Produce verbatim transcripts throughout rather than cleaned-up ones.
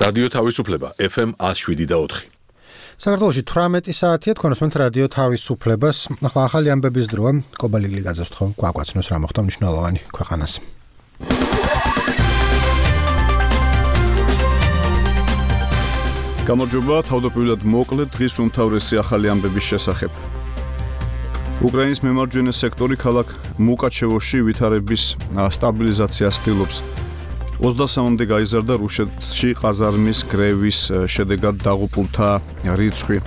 რადიო თავისუფლება ეფ ემ one oh seven და four. საქართველოში თვრამეტი საათია თქვენ უსმენთ რადიო თავისუფლებას. ახლა ახალი ამბების დროა. კობალილი გაძასთხოვ გვაგვაცნოს რა მოხდა მნიშვნელოვანი ქვეყანას. გამარჯობა, თავდაპირველად მოკლედ დღის უმთავრესი ახალი ამბების შესახებ. უკრაინის მემარჯვენე სექტორი ქალაქ მუკაჩევოში ვითარების სტაბილიზაციას ცდილობს. ოცდასამამდე გაიზარდა რუსეთში ყაზარმის გრევის შედეგად დაღუპულთა რიცხვი.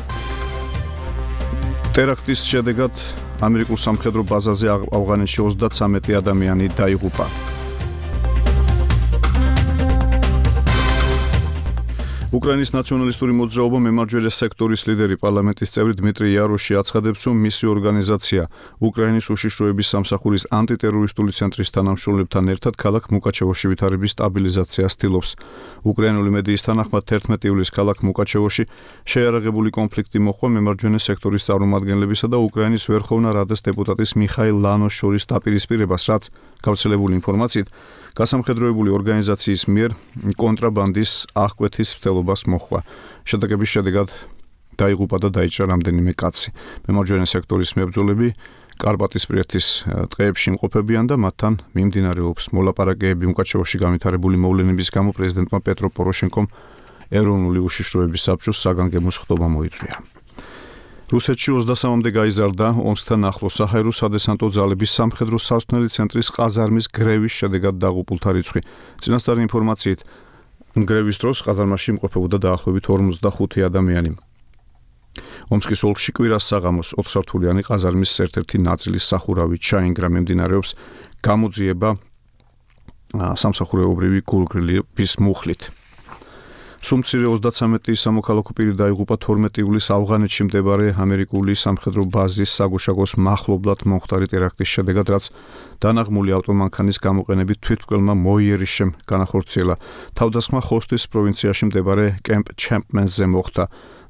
ტერაქტის შედეგად ამერიკულ სამხედრო ბაზაზე ავღანეთში ოცდათვრამეტი ადამიანი დაიღუპა. უკრაინის ნაციონალისტური მოძრაობა მემარჯვენე სექტორის ლიდერი პარლამენტის წევრი დმიტრი იაროში აცხადებს, რომ მისი ორგანიზაცია უკრაინის უშიშროების სამსახურის ანტიტერორისტული ცენტრის თანამშრომლებთან ერთად ქალაქ მუკაჩევოში ვითარების სტაბილიზაციას ცდილობს. უკრაინული მედიის თანახმად თერთმეტი ივლისს ქალაქ მუკაჩევოში შეიარაღებული კონფლიქტი მოჰყვა მემარჯვენე სექტორის წარმომადგენლებისა და უკრაინის ვერხოვნა რადას დეპუტატის მიხაილ ლანოს შორის დაპირისპირებას, რაც გავრცელებული ინფორმაციით გასამხედროებული ორგანიზაციის მიერ კონტრაბანდის აღკვეთის მცდელობას მოჰყვა. შედეგების შედეგად დაიღუპა და დაიჭრა რამდენიმე კაცი. მემარჯვენე სექტორის მებრძოლები კარპატისპირეთის ტყეებში იმყოფებიან და მათთან მიმდინარეობს მოლაპარაკებები მუკაჩევოში განვითარებული მოვლენების გამო პრეზიდენტმა პეტრო პოროშენკომ ეროვნული უშიშროების საბჭოს საგანგებო სხდომა მოიწვია. რუსეთში ოცდასამამდე გაიზარდა ომსთან ახლოს საჰაერო სადესანტო ძალების სამხედრო სასწავლელი ცენტრის ყაზარმის გრევის შედეგად დაღუპულთა რიცხვი. წინასწარი ინფორმაციით გრევის დროს ყაზარმაში იმყოფებოდა დაახლოებით ორმოცდახუთი ადამიანი. ომსკის ოლქში კვირას საღამოს ოთხსართულიანი ყაზარმის ერთ-ერთი ნაწილის სახურავი ჩაინგრა. მიმდინარეობს გამოძიება სამსახურეობრივი გულგრილების მუხლით. სუმცირე ოცდათვრამეტი სამოქალაქო პირი დაიღუპა თორმეტი ივლისს ავღანეთში მდებარე ამერიკული სამხედრო ბაზის საგუშაგოს მახლობლად მომხდარი ტერაქტის შედეგად, რაც დანაღმული ავტომანქანის გამოყენებით თვითმკვლელმა მოიერიშემ განახორციელა. თავდასხმა ხოსტის პროვინციაში მდებარე კემპ ჩემპმენზე მოხდა.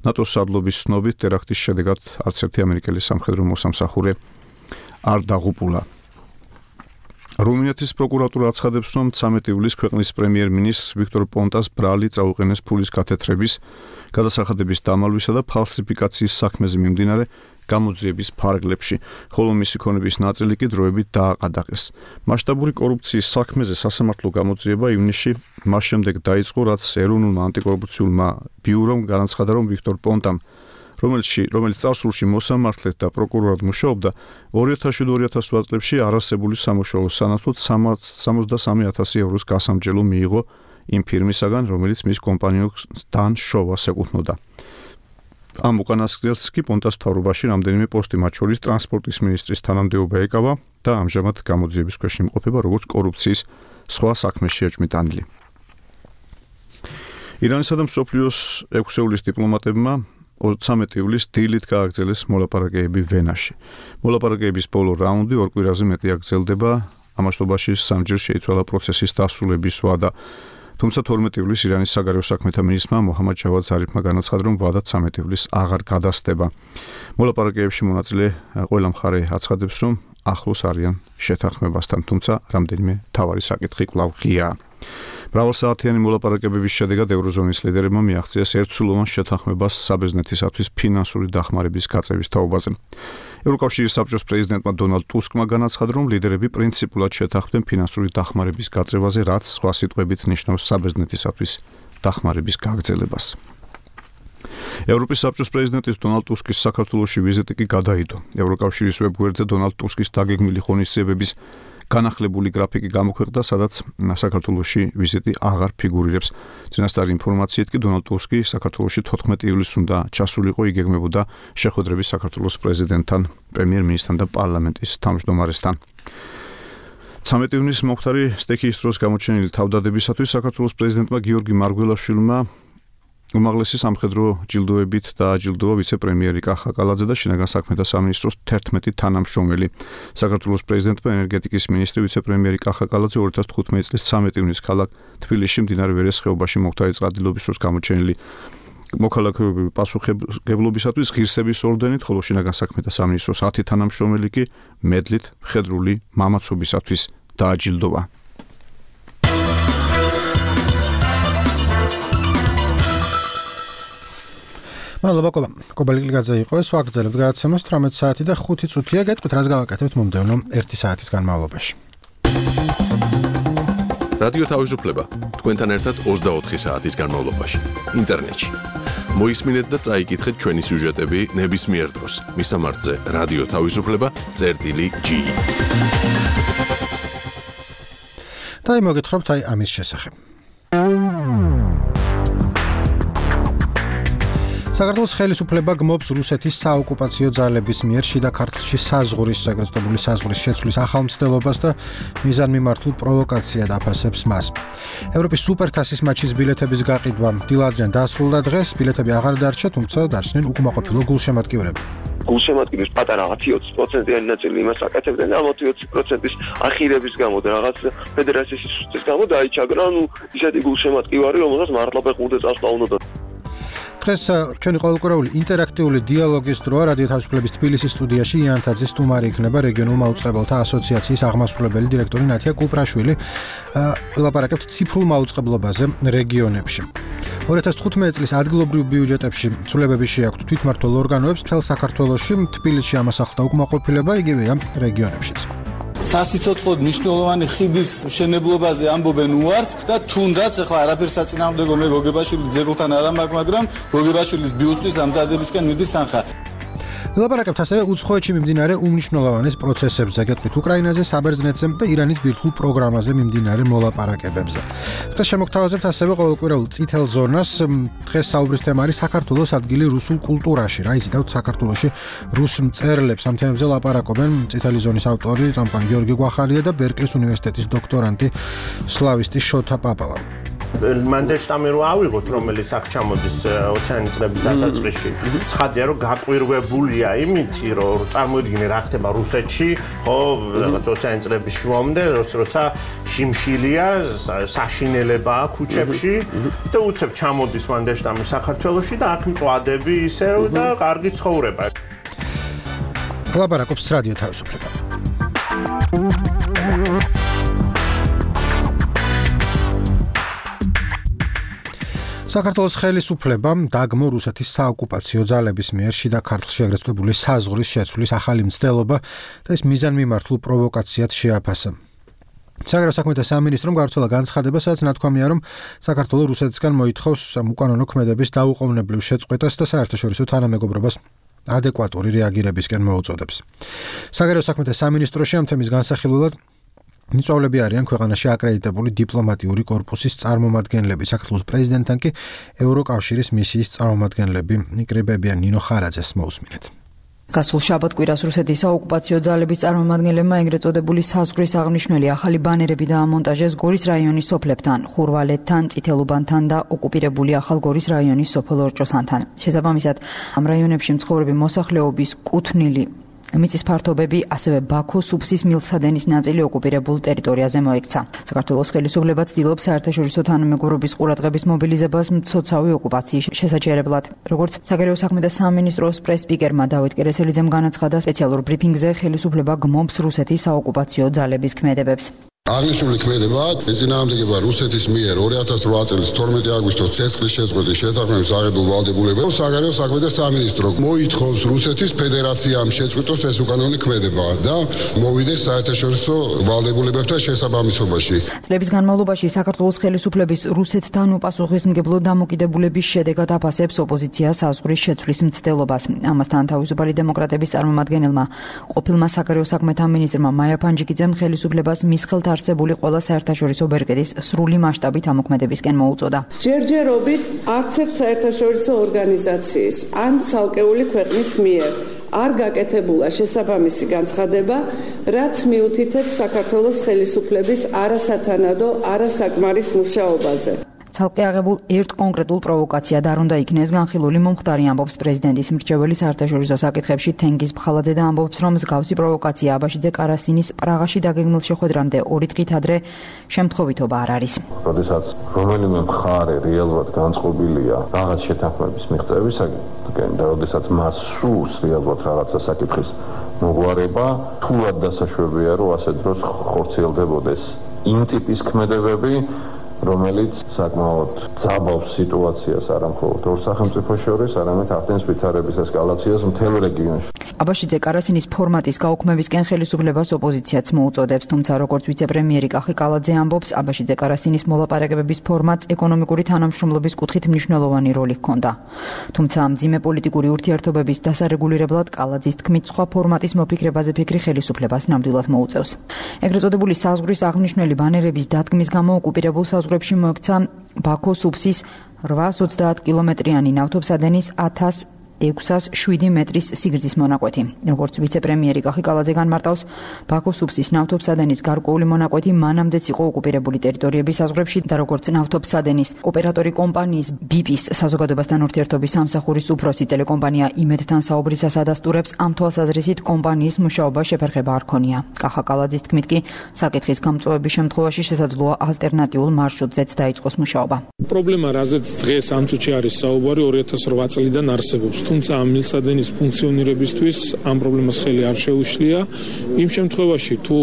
ნატოს სარდლობის ცნობით ტერაქტის შედეგად არც ერთი ამერიკელი სამხედრო მოსამსახურე არ დაღუპულა. რუმინეთის პროკურატურა აცხადებს, რომ ცამეტი ივლისს ქვეყნის პრემიერ-მინისტრს ვიქტორ პონტას ბრალი წაუყენეს ფულის გათეთრების, გადასახადების დამალვისა და ფალსიფიკაციის საქმეზე მიმდინარე გამოძიების ფარგლებში, ხოლო მისი ქონების ნაწილი კი დროებით დააყადაღეს. მასშტაბური კორუფციის საქმეზე სასამართლო გამოძიება ივნისში მას შემდეგ დაიწყო, რაც ეროვნულმა ანტიკორუფციულმა ბიურომ განაცხადა, რომ ვიქტორ პონტამ, რომელში რომელიც წარსულში მოსამართლედ და პროკურორად მუშაობდა, ორი ათასი და ორი ათას ოთხ წლებში არასებული სამუშაოს სანაცვლოდ სამოცდასამი ათასი ევროს გასამჯელო მიიღო იმ ფირმისაგან, რომელიც მის კომპანიასთან შოვას ეკუთვნოდა. ამ უკანასკნელს კი პონტას მთავრობაში რამდენიმე პოსტი, მათ შორის ტრანსპორტის მინისტრის თანამდებობა ეკავა და ამჟამად გამოძიების ქვეშ იმყოფება როგორც კორუფციის სხვა საქმეში ეჭვმიტანილი. ირანისა და მსოფლიოს ექვსეულის დიპლომატებმა ცამეტი ივლისს დილით გააგრძელეს მოლაპარაკებები ვენაში. მოლაპარაკებების ბოლო რაუნდი ორ კვირაზე მეტი აგრძელდება, ამასობაში სამჯერ შეიცვალა პროცესის დასრულების ვადა. თუმცა თორმეტი ივლისს ირანის საგარეო საქმეთა მინისტრმა მოჰამად ჯავად ზარიფმა განაცხადა, რომ ვადა ცამეტი ივლისს აღარ გადასდება. მოლაპარაკებებში მონაწილე ყველა მხარე აცხადებს, რომ ახლოს არიან შეთანხმებასთან, თუმცა რამდენიმე მთავარი საკითხი კვლავ ღიაა. მრავალსაათიანი მოლაპარაკებების შედეგად ევროზონის ლიდერებმა მიაღწიეს ერთსულოვან შეთანხმებას საბერძნეთისათვის ფინანსური დახმარების გაწევის თაობაზე. ევროკავშირის საბჭოს პრეზიდენტმა დონალდ ტუსკმა განაცხადა, რომ ლიდერები პრინციპულად შეთანხმდნენ ფინანსური დახმარების გაწევაზე, რაც სხვა სიტყვებით ნიშნავს საბერძნეთისათვის დახმარების გაგრძელებას. ევროპის საბჭოს პრეზიდენტის დონალდ ტუსკის საქართველოში ვიზიტი კი გადაიდო. ევროკავშირის ვებგვერდზე დონალდ ტუსკის დაგეგმილი ღონისძიებების განახლებული გრაფიკი გამოქვეყნდა, სადაც საქართველოში ვიზიტი აღარ ფიგურირებს. წინასწარი ინფორმაციით კი დონალდ ტუსკი საქართველოში თოთხმეტი ივლისს უნდა ჩასულიყო, იგეგმებოდა შეხვედრები საქართველოს პრეზიდენტთან, პრემიერ-მინისტრთან და პარლამენტის თავმჯდომარესთან. ცამეტი ივნისს მომხდარი სტექიის დროს გამოჩენილი თავდადებისათვის საქართველოს პრეზიდენტმა გიორგი მარგველაშვილმა უმაღლესი სამხედრო ჯილდოებით დააჯილდოვა ვიცე-პრემიერი კახა კალაძე და შინაგან საქმეთა სამინისტროს თერთმეტი თანამშრომელი. საქართველოს პრეზიდენტმა ენერგეტიკის მინისტრი ვიცე-პრემიერი კახა კალაძე ორი ათას თხუთმეტი წლის ცამეტი ივნისს ქალაქ თბილისში მდინარე ვერეს ხეობაში მომხდარი წყალდიდობის დროს გამოჩენილი მოქალაქეობრივი პასუხისმგებლობისათვის ღირსების ორდენით, ხოლო შინაგან საქმეთა სამინისტროს ათი თანამშრომელი კი მედლით მხედრული მამაცობისათვის დააჯილდოვა. მადლობა კობა. კობალი ლიგაძე იყო ეს ვაგრძელებთ გადაცემას თვრამეტი საათი და ხუთი წუთია. გეტყვით რას გავაკეთებთ მომდევნო ერთი საათის განმავლობაში. რადიო თავისუფლება თქვენთან ერთად ოცდაოთხი საათის განმავლობაში ინტერნეტში. მოისმინეთ და წაიკითხეთ ჩვენი სიუჟეტები ნებისმიერ დროს მისამართზე რადიო თავისუფლება წერტილი ჯი. და მოგეთხრობთ აი ამის შესახებ. საქართველოს ხელისუფლება გმობს რუსეთის საოკუპაციო ძალების მიერ შიდა ქართლში საზღვრის საგრესტებული საზღვრის შეცვლის ახალ მცდელობას და მიზანმიმართულ პროვოკაციად აფასებს მას. ევროპის სუპერთასის მატჩის ბილეთების გაყიდვა დილადრიან დასრულდა დღეს, ბილეთები აღარ დარჩა, თუმცა დარჩნენ უკმაყოფილო გულშემატკივრები. გულშემატკივრის პატარა ოცი პროცენტიანი ნაწილი იმას აკეთებდნენ, ამ ოცი პროცენტის ახირების გამო და რაღაც ფედერაციის სისტემის გამო დაიჩაგრა, ну, ისეთი გულშემატკივარი, რომელსაც მართლა ფეხბურთზე წასვლა უნდა. დღეს ჩვენი ყოველკვირეული ინტერაქტიული დიალოგის დროა რადიო თავისუფლების თბილისის სტუდიაში იანთაძის სტუმარი იქნება რეგიონულ მაუწყებელთა ასოციაციის აღმასრულებელი დირექტორი ნათია კუპრაშვილი. ვილაპარაკებთ ციფრულ მაუწყებლობაზე რეგიონებში. ორი ათას თხუთმეტი წლის ადგილობრივ ბიუჯეტებში ცვლილებები შეაქვთ თვითმმართველ ორგანოებს მთელ საქართველოში, თბილისში ამას ახლდა უკმაყოფილება, იგივეა რეგიონებშიც. სასიცოცხლოდ მნიშვნელოვანი ხიდის მშენებლობაზე ამბობენ უარს და თუნდაც ახლა არაფერს საწინააღმდეგო მე გოგებაშვილის ძეგლთან არ ამაქვს, მაგრამ გოგებაშვილის ბიუსტის ამზადებისკენ მიდის თანხა. ვილაპარაკებთ ასევე უცხოეთში მიმდინარე უმნიშვნელოვანეს პროცესებზე, გეტყვით უკრაინაზე, საბერძნეთზე და ირანის ბირთვულ პროგრამაზე მიმდინარე მოლაპარაკებებზე. დღეს შემოგთავაზებთ ასევე ყოველკვირეულ წითელ ზონას. დღეს საუბრის თემა არის საქართველოს ადგილი რუსულ კულტურაში. რა იზიდავთ საქართველოში რუს მწერლებს? ამ თემებზე ლაპარაკობენ წითელი ზონის ავტორი წამყვანი გიორგი გვახარია და ბერკლის უნივერსიტეტის დოქტორანტი სლავისტი შოთა პაპავა. მანდელშტამი რო ავიღოთ, რომელიც აქ ჩამოდის ოციანი წლების დასაწყისში. ცხადია, რომ გაყვირვებულია იმითი, რომ წარმოიდგინე რა ხდება რუსეთში, ხო, რაღაც ოციანი წლების შუამდე, როცა შიმშილია, საშინელებაა ქუჩებში და უცებ ჩამოდის მანდელშტამი საქართველოში და აქ მწვადები ისევ და კარგი ცხოვრება. ლაპარაკობს რადიო თავისუფლება. საქართველოს ხელისუფლებამ დაგმო რუსეთის საოკუპაციო ძალების მიერ შიდა ქართლში ეგრეთწოდებული საზღვრის შეცვლის ახალი მცდელობა და ეს მიზანმიმართულ პროვოკაციად შეაფასა. საგარეო საქმეთა სამინისტრომ გავრცელა განცხადება, სადაც ნათქვამია, რომ საქართველო რუსეთისგან მოითხოვს უკანონო ქმედების დაუყოვნებლივ შეწყვეტას და საერთაშორისო თანამეგობრობას ადეკვატური რეაგირებისკენ მოუწოდებს. საგარეო საქმეთა სამინისტროში ამ თემის განსახილველად მიწვავლები არიან ქვეყანაში აკრედიტებული დიპლომატიური კორპუსის წარმომადგენლები, საქართველოს პრეზიდენტთან კი ევროკავშირის მისიის წარმომადგენლები. ნიკრიბებიან ნინო ხარაძეს მოусმინეთ. გასულ შაბათ-კვირას რუსეთის საოკუპაციო ძალების წარმომადგენლებმა ეგრეთ წოდებული საზღვრის აღნიშნული ახალი ბანერები დაამონტაჟეს გორის რაიონის სოფლებთან, ხურვალეთთან, წითელუბანთან და ოკუპირებული ახალ გორის რაიონის სოფელ ორჭოსანთან. შესაბამისად, ამ რაიონებში მცხოვრები მოსახლეობის კუთვნილი მიწის ფართობები, ასევე ბაქოს სუფსის მილსადენის ნაწილი ოკუპირებულ ტერიტორიაზე მოექცა. საქართველოს ხელისუფლება ცდილობს საერთაშორისო თანამეგობრობის ყურადღების მობილიზებას მცოცავი ოკუპაციის შესაჩერებლად. როგორც საგარეო საქმეთა სამინისტროს პრეს-სპიკერმა დავით კერესელიძემ განაცხადა, სპეციალურ ბრიფინგზე ხელისუფლება გმობს რუსეთის საოკუპაციო ძალების ქმედებებს. აღნიშნული ქმედება ეწინააღმდეგება რუსეთის მიერ ორი ათას რვა წლის თორმეტი აგვისტოს ცეცხლის შეწყვეტის შეთანხმების აღებულ ვალდებულებებს საგარეო საქმეთა სამინისტრო მოითხოვს რუსეთის ფედერაციამ შეწყვიტოს ეს უკანონო ქმედება და მოვიდეს საერთაშორისო ვალდებულებებთან შესაბამისობაში. წლების განმავლობაში საქართველოს ხელისუფლების რუსეთთან უპასუხისმგებლო დამოკიდებულების შედეგად აფასებს ოპოზიცია საზღვრის შეცვლის მცდელობას. ამასთან თავისუფალი დემოკრატების წარმომადგენელმა ყოფილმა საგარეო საქმეთა მინისტრმა მაია ფანჯიკიძემ ხელისუფლებას მის ხელთ არსებული ყველა საერთაშორისო ბერკეტის სრული მასშტაბით ამოქმედებისკენ მოუწოდა. ჯერჯერობით არც ერთ საერთაშორისო ორგანიზაციის ან ცალკეული ქვეყნის მიერ არ გაკეთებულა შესაბამისი განცხადება, რაც მიუთითებს საქართველოს ხელისუფლების არასათანადო, არასაკმარის მუშაობაზე. ცალკე აღებულ ერთ კონკრეტულ პროვოკაციად არ უნდა იქნეს განხილული მომხდარი, ამბობს პრეზიდენტის მრჩეველი საერთაშორისო საკითხებში თენგიზ ბხალაძე და ამბობს, რომ მსგავსი პროვოკაცია აბაშიძე კარასინის პრაღაში დაგეგმილ შეხვედრამდე ორი დღით ადრე შემთხვევითობა არ არის. როდესაც რომელიმე მხარე რეალურად განწყობილია რაღაც შეთანხმების მიღწევისაკენ და როდესაც მას სურს რეალურად რაღაცა საკითხის მოგვარება, თულად დასაშვებია, რომ ასე დროს ხორციელდებოდეს იმ ტიპის ქმედებები, რომელიც საკმაოდ ძაბავს სიტუაციას არა მხოლოდ ორ სახელმწიფოს შორის, არამედ ახდენს ვითარების ესკალაციას მთელ რეგიონში. აბაშიძე კარასინის ფორმატის გაუქმებისკენ ხელისუფლებას ოპოზიციაც მოუწოდებს, თუმცა როგორც ვიცე-პრემიერი კახი კალაძე ამბობს, აბაშიძე კარასინის მოლაპარაკებების ფორმატს ეკონომიკური თანამშრომლობის კუთხით მნიშვნელოვანი როლი ჰქონდა. თუმცა მძიმე პოლიტიკური ურთიერთობების დასარეგულირებლად კალაძის თქმით სხვა ფორმატის მოფიქრებაზე ფიქრი ხელისუფლებას ნამდვილად მოუწევს. ეგრეთ წოდებული საზღვრის აღნიშნული ბანერების დადგმის გამო ოკუპირებულ საზღვრებში მოექცა ბაქოს უბსის რვაას ოცდაათ კილომეტრიანი ნავთობსადენის ათას ექვსას შვიდი მეტრის სიგრძის მონაკვეთი. როგორც ვიცე-პრემიერი კახი კალაძე განმარტავს, ბაქოს უბსის ნავთობსადენის გარკვეული მონაკვეთი მანამდეც იყო ოკუპირებული ტერიტორიების საზღვრებში და როგორც ნავთობსადენის ოპერატორი კომპანიის ბიპის საზოგადოებასთან ურთიერთობის სამსახურის უფროსი ტელეკომპანია იმედთან საუბრისას ადასტურებს, ამ თვალსაზრისით კომპანიის მუშაობა შეფერხება არ ქონია. კახა კალაძის თქმით კი, საკითხის გამწვავების შემთხვევაში შესაძლოა ალტერნატიულ მარშრუტზეც დაიწყოს მუშაობა. პრობლემა, რაზეც დღეს ამ წუთში არის საუბარი, ორი ათას რვა წლიდან არსებობს. თუმცა ამ მილსადენის ფუნქციონირებისთვის ამ პრობლემას ხელი არ შეუშლია. იმ შემთხვევაში თუ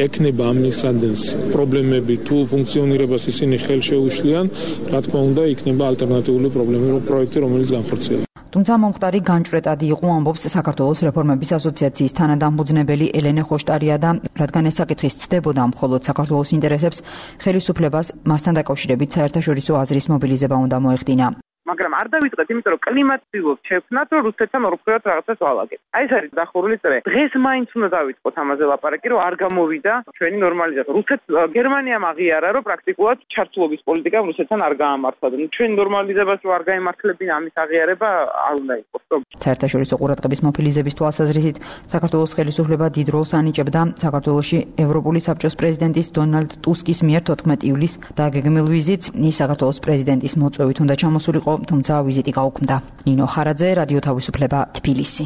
ეკნება ამ მილსადენს პრობლემები, თუ ფუნქციონირებას ისინი ხელი შეუშლიან, რა თქმა უნდა, იქნება ალტერნატიული პრობლემები პროექტი, რომელიც განხორციელდება. თუმცა მომხდარი განჭვრეტადი იყო, ამბობს საქართველოს რეფორმების ასოციაციის თანადამფუძნებელი ელენე ხოშტარია და რადგან ეს საკითხი ცდებოდა მხოლოდ საქართველოს ინტერესებს, ხელისუფლებას მასთან დაკავშირებით საერთაშორისო აზრის მობილიზება უნდა მოეხდინა. მაგრამ არ დავიწყეთ, იმიტომ რომ კლიმატს ვიღოთ შექმნათ, რომ რუსეთთან ორფერდად რაღაცას ვალაგეთ. აი ეს არის დახურული წრე. დღეს მაინც უნდა დავიწყოთ ამაზე ლაპარაკი, რომ არ გამოვიდა ჩვენი ნორმალიზაცია. რუსეთს გერმანიამ აღიარა, რომ პრაქტიკულად ჩართულობის პოლიტიკამ რუსეთთან არ გაამართლა. ჩვენი ნორმალიზებას რო არ გაემართლებინა, ამის აღიარება არ უნდა იყოს. საერთაშორისო ყურადღების მოფილიზების თვალსაზრისით, საქართველოს ხელისუფლება დიდ როლს ანიჭებდა საქართველოში ევროპული საბჭოს პრეზიდენტის დონალდ ტუსკის მიერ თოთხმეტი ივლისს დაგეგმილ ვიზიტს. ის საქართველოს პრეზიდენტის მოწვევით უნდა ჩამოსულიყო, თუმცა ვიზიტი გაუქმდა. ნინო ხარაძე, რადიო თავისუფლება, თბილისი.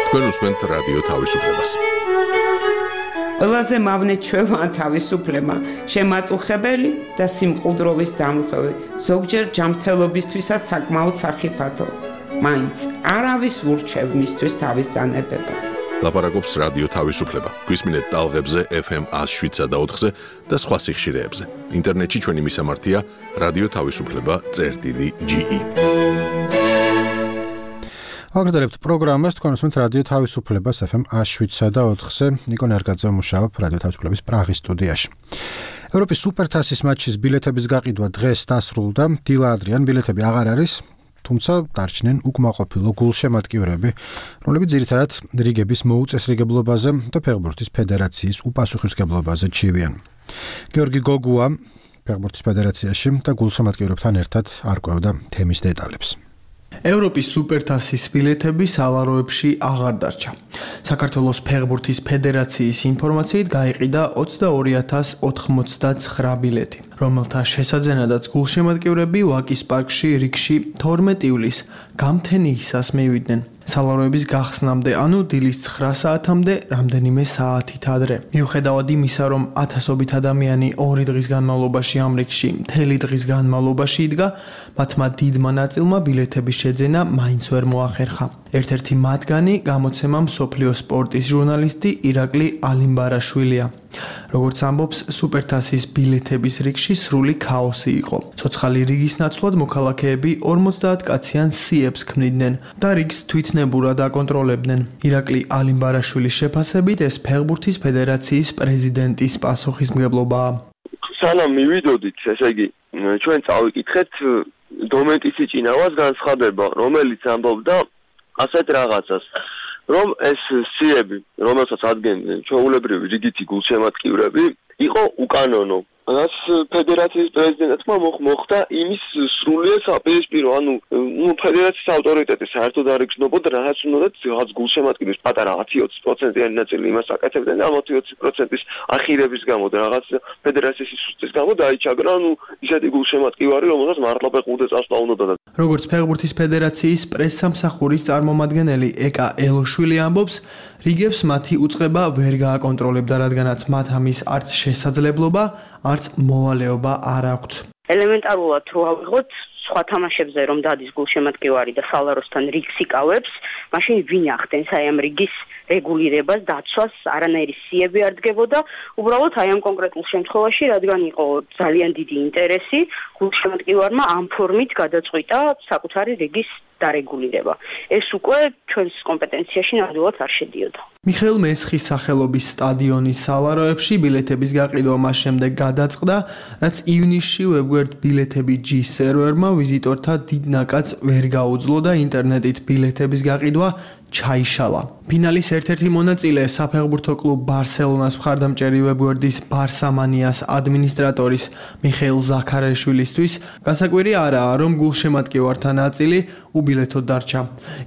თქვენ უსმენთ რადიო თავისუფლებას. ყველაზე მავნე ჩვევა თავისუფლება, შემაწუხებელი და სიმყუდროვის დამრღვევი, ზოგჯერ ჯანმრთელობისთვისაც საკმაოდ სახიფათო. მაინც არავის ურჩევ მისთვის თავის დანებებას. ლაპარაკობს რადიო თავისუფლება. გვისმინეთ ტალღებზე ეფ ემ ას შვიდსა და ოთხზე და სხვა სიხშირეებზე. ინტერნეტში ჩვენი მისამართია რადიო თავისუფლება წერტილი ჯი ი. აგრძელებთ პროგრამას, თქვენ უსმენთ რადიო თავისუფლებას ეფ ემ ას შვიდსა და ოთხზე. ნიკო ნერგაძე მუშაობ რადიო თავისუფლების პრაღის სტუდიაში. ევროპის სუპერთასის მატჩის ბილეთების გაყიდვა დღეს დასრულდა. დილა ადრიან ბილეთები აღარ არის. თუმცა დარჩნენ უკმაყოფილო გულშემატკივრები, რომლებიც ძირითადად რიგების მოუწესრიგებლობაზე და ფეხბურთის ფედერაციის უპასუხისმგებლობაზე ჩივიან. გეორგი გოგუა ფეხბურთის ფედერაციაში და გულშემატკივრებთან ერთად არკვევდა თემის დეტალებს. ევროპის სუპერთასის ბილეთები სალაროებში აღარ დარჩა. საქართველოს ფეხბურთის ფედერაციის ინფორმაციით გაიყიდა ოცდაორი ათას ოთხმოცდაცხრა ბილეთი, რომელთა შესაძენადაც გულშემატკივრები ვაკის პარკში რიგში თორმეტი ივლისს გამთენიისას მივიდნენ. სალაროების გახსნამდე, ანუ დილის ცხრა საათამდე, რამდენიმე საათით ადრე. მიუხედავად იმისა, რომ ათასობით ადამიანი ორი დღის განმავლობაში ამ რიგში მთელი დღის განმავლობაში იდგა, მათმა დიდმა ნაწილმა ბილეთების შეძენა მაინც ვერ მოახერხა. ერთ-ერთი მათგანი გამოცემა მსოფლიო სპორტის ჟურნალისტი ირაკლი ალიმბარაშვილია. როგორც ამბობს, სუპერთასის ბილეთების რიგში სრული ქაოსი იყო. ცოცხალი რიგის ნაცვლად მოქალაქეები ორმოცდაათ კაციან სიებს ქმნიდნენ და რიგს თვითნებურად აკონტროლებდნენ. ირაკლი ალიმბარაშვილის შეფასებით, ეს ფეხბურთის ფედერაციის პრეზიდენტის პასუხისმგებლობაა. სანამ მივიდოდით, ესე იგი, ჩვენ წავიკითხეთ დომენტის იჭინავას განცხადება, რომელიც ამბობდა ასეთ რაღაცას, რომ ეს სიები, რომელსაც ადგენდნენ ჩვეულებრივი რიგითი გულშემატკივრები, იყო უკანონო. რაც ფედერაციის პრეზიდენტმა მოხდა იმის სრულიად საპირისპირო, ანუ ნუ ფედერაციის ავტორიტეტი საერთოდ არ იგრძნობოდა, რაღაც უნდათ რაღაც გულშემატკივრის პატარა ათი ოცი პროცენტიანი ნაწილი იმას აკეთებდნენ და ამ ათი ოცი პროცენტის ახირების გამო და რაღაც ფედერაციის სუსტის გამო დაიჩაგრა, ანუ ისეთი გულშემატკივარი, რომელსაც მართლა ფეხბურთზე წასვლა უნდოდა. როგორც ფეხბურთის ფედერაციის პრესსამსახურის წარმომადგენელი ეკა ელოშვილი ამბობს, რიგებს მათი უწყება ვერ გააკონტროლებდა, რადგანაც მათ ამის არც შესაძლებლობა, არც მოვალეობა არ აქვთ. ელემენტარულად რო ავიღოთ, სხვა თამაშებზე რომ დადის გულშემატკივარი და სალაროსთან რიგს იკავებს, მაშინ ვინ ახდენს აი ამ რიგის რეგულირებას, დაცვას, არანაირი სიები არ დგებოდა, უბრალოდ აი ამ კონკრეტულ შემთხვევაში, რადგან იყო ძალიან დიდი ინტერესი, გულშემატკივარმა ამ ფორმით გადაწყვიტა საკუთარი რიგის დარეგულირება. ეს უკვე ჩვენს კომპეტენციაში ნამდვილად არ შედიოდა. მიხეილ მესხის სახელობის სტადიონის სალაროებში ბილეთების გაყიდვა მას შემდეგ გადაწყდა, რაც ივნისში ვებგვერდ ბილეთები ჯი სერვერმა ვიზიტორთა დიდ ნაკადს ვერ გაუძლო და ინტერნეტით ბილეთების გაყიდვა ჩაიშალა. ფინალის ერთ-ერთი მონაწილე საფეხბურთო კლუბ ბარსელონას მხარდამჭერი ვებგვერდის ბარსამანიას ადმინისტრატორის მიხეილ ზაქარაშვილისთვის გასაკვირი არაა, რომ გულშემატკივართა ნაწილი უბილეთოდ დარჩა.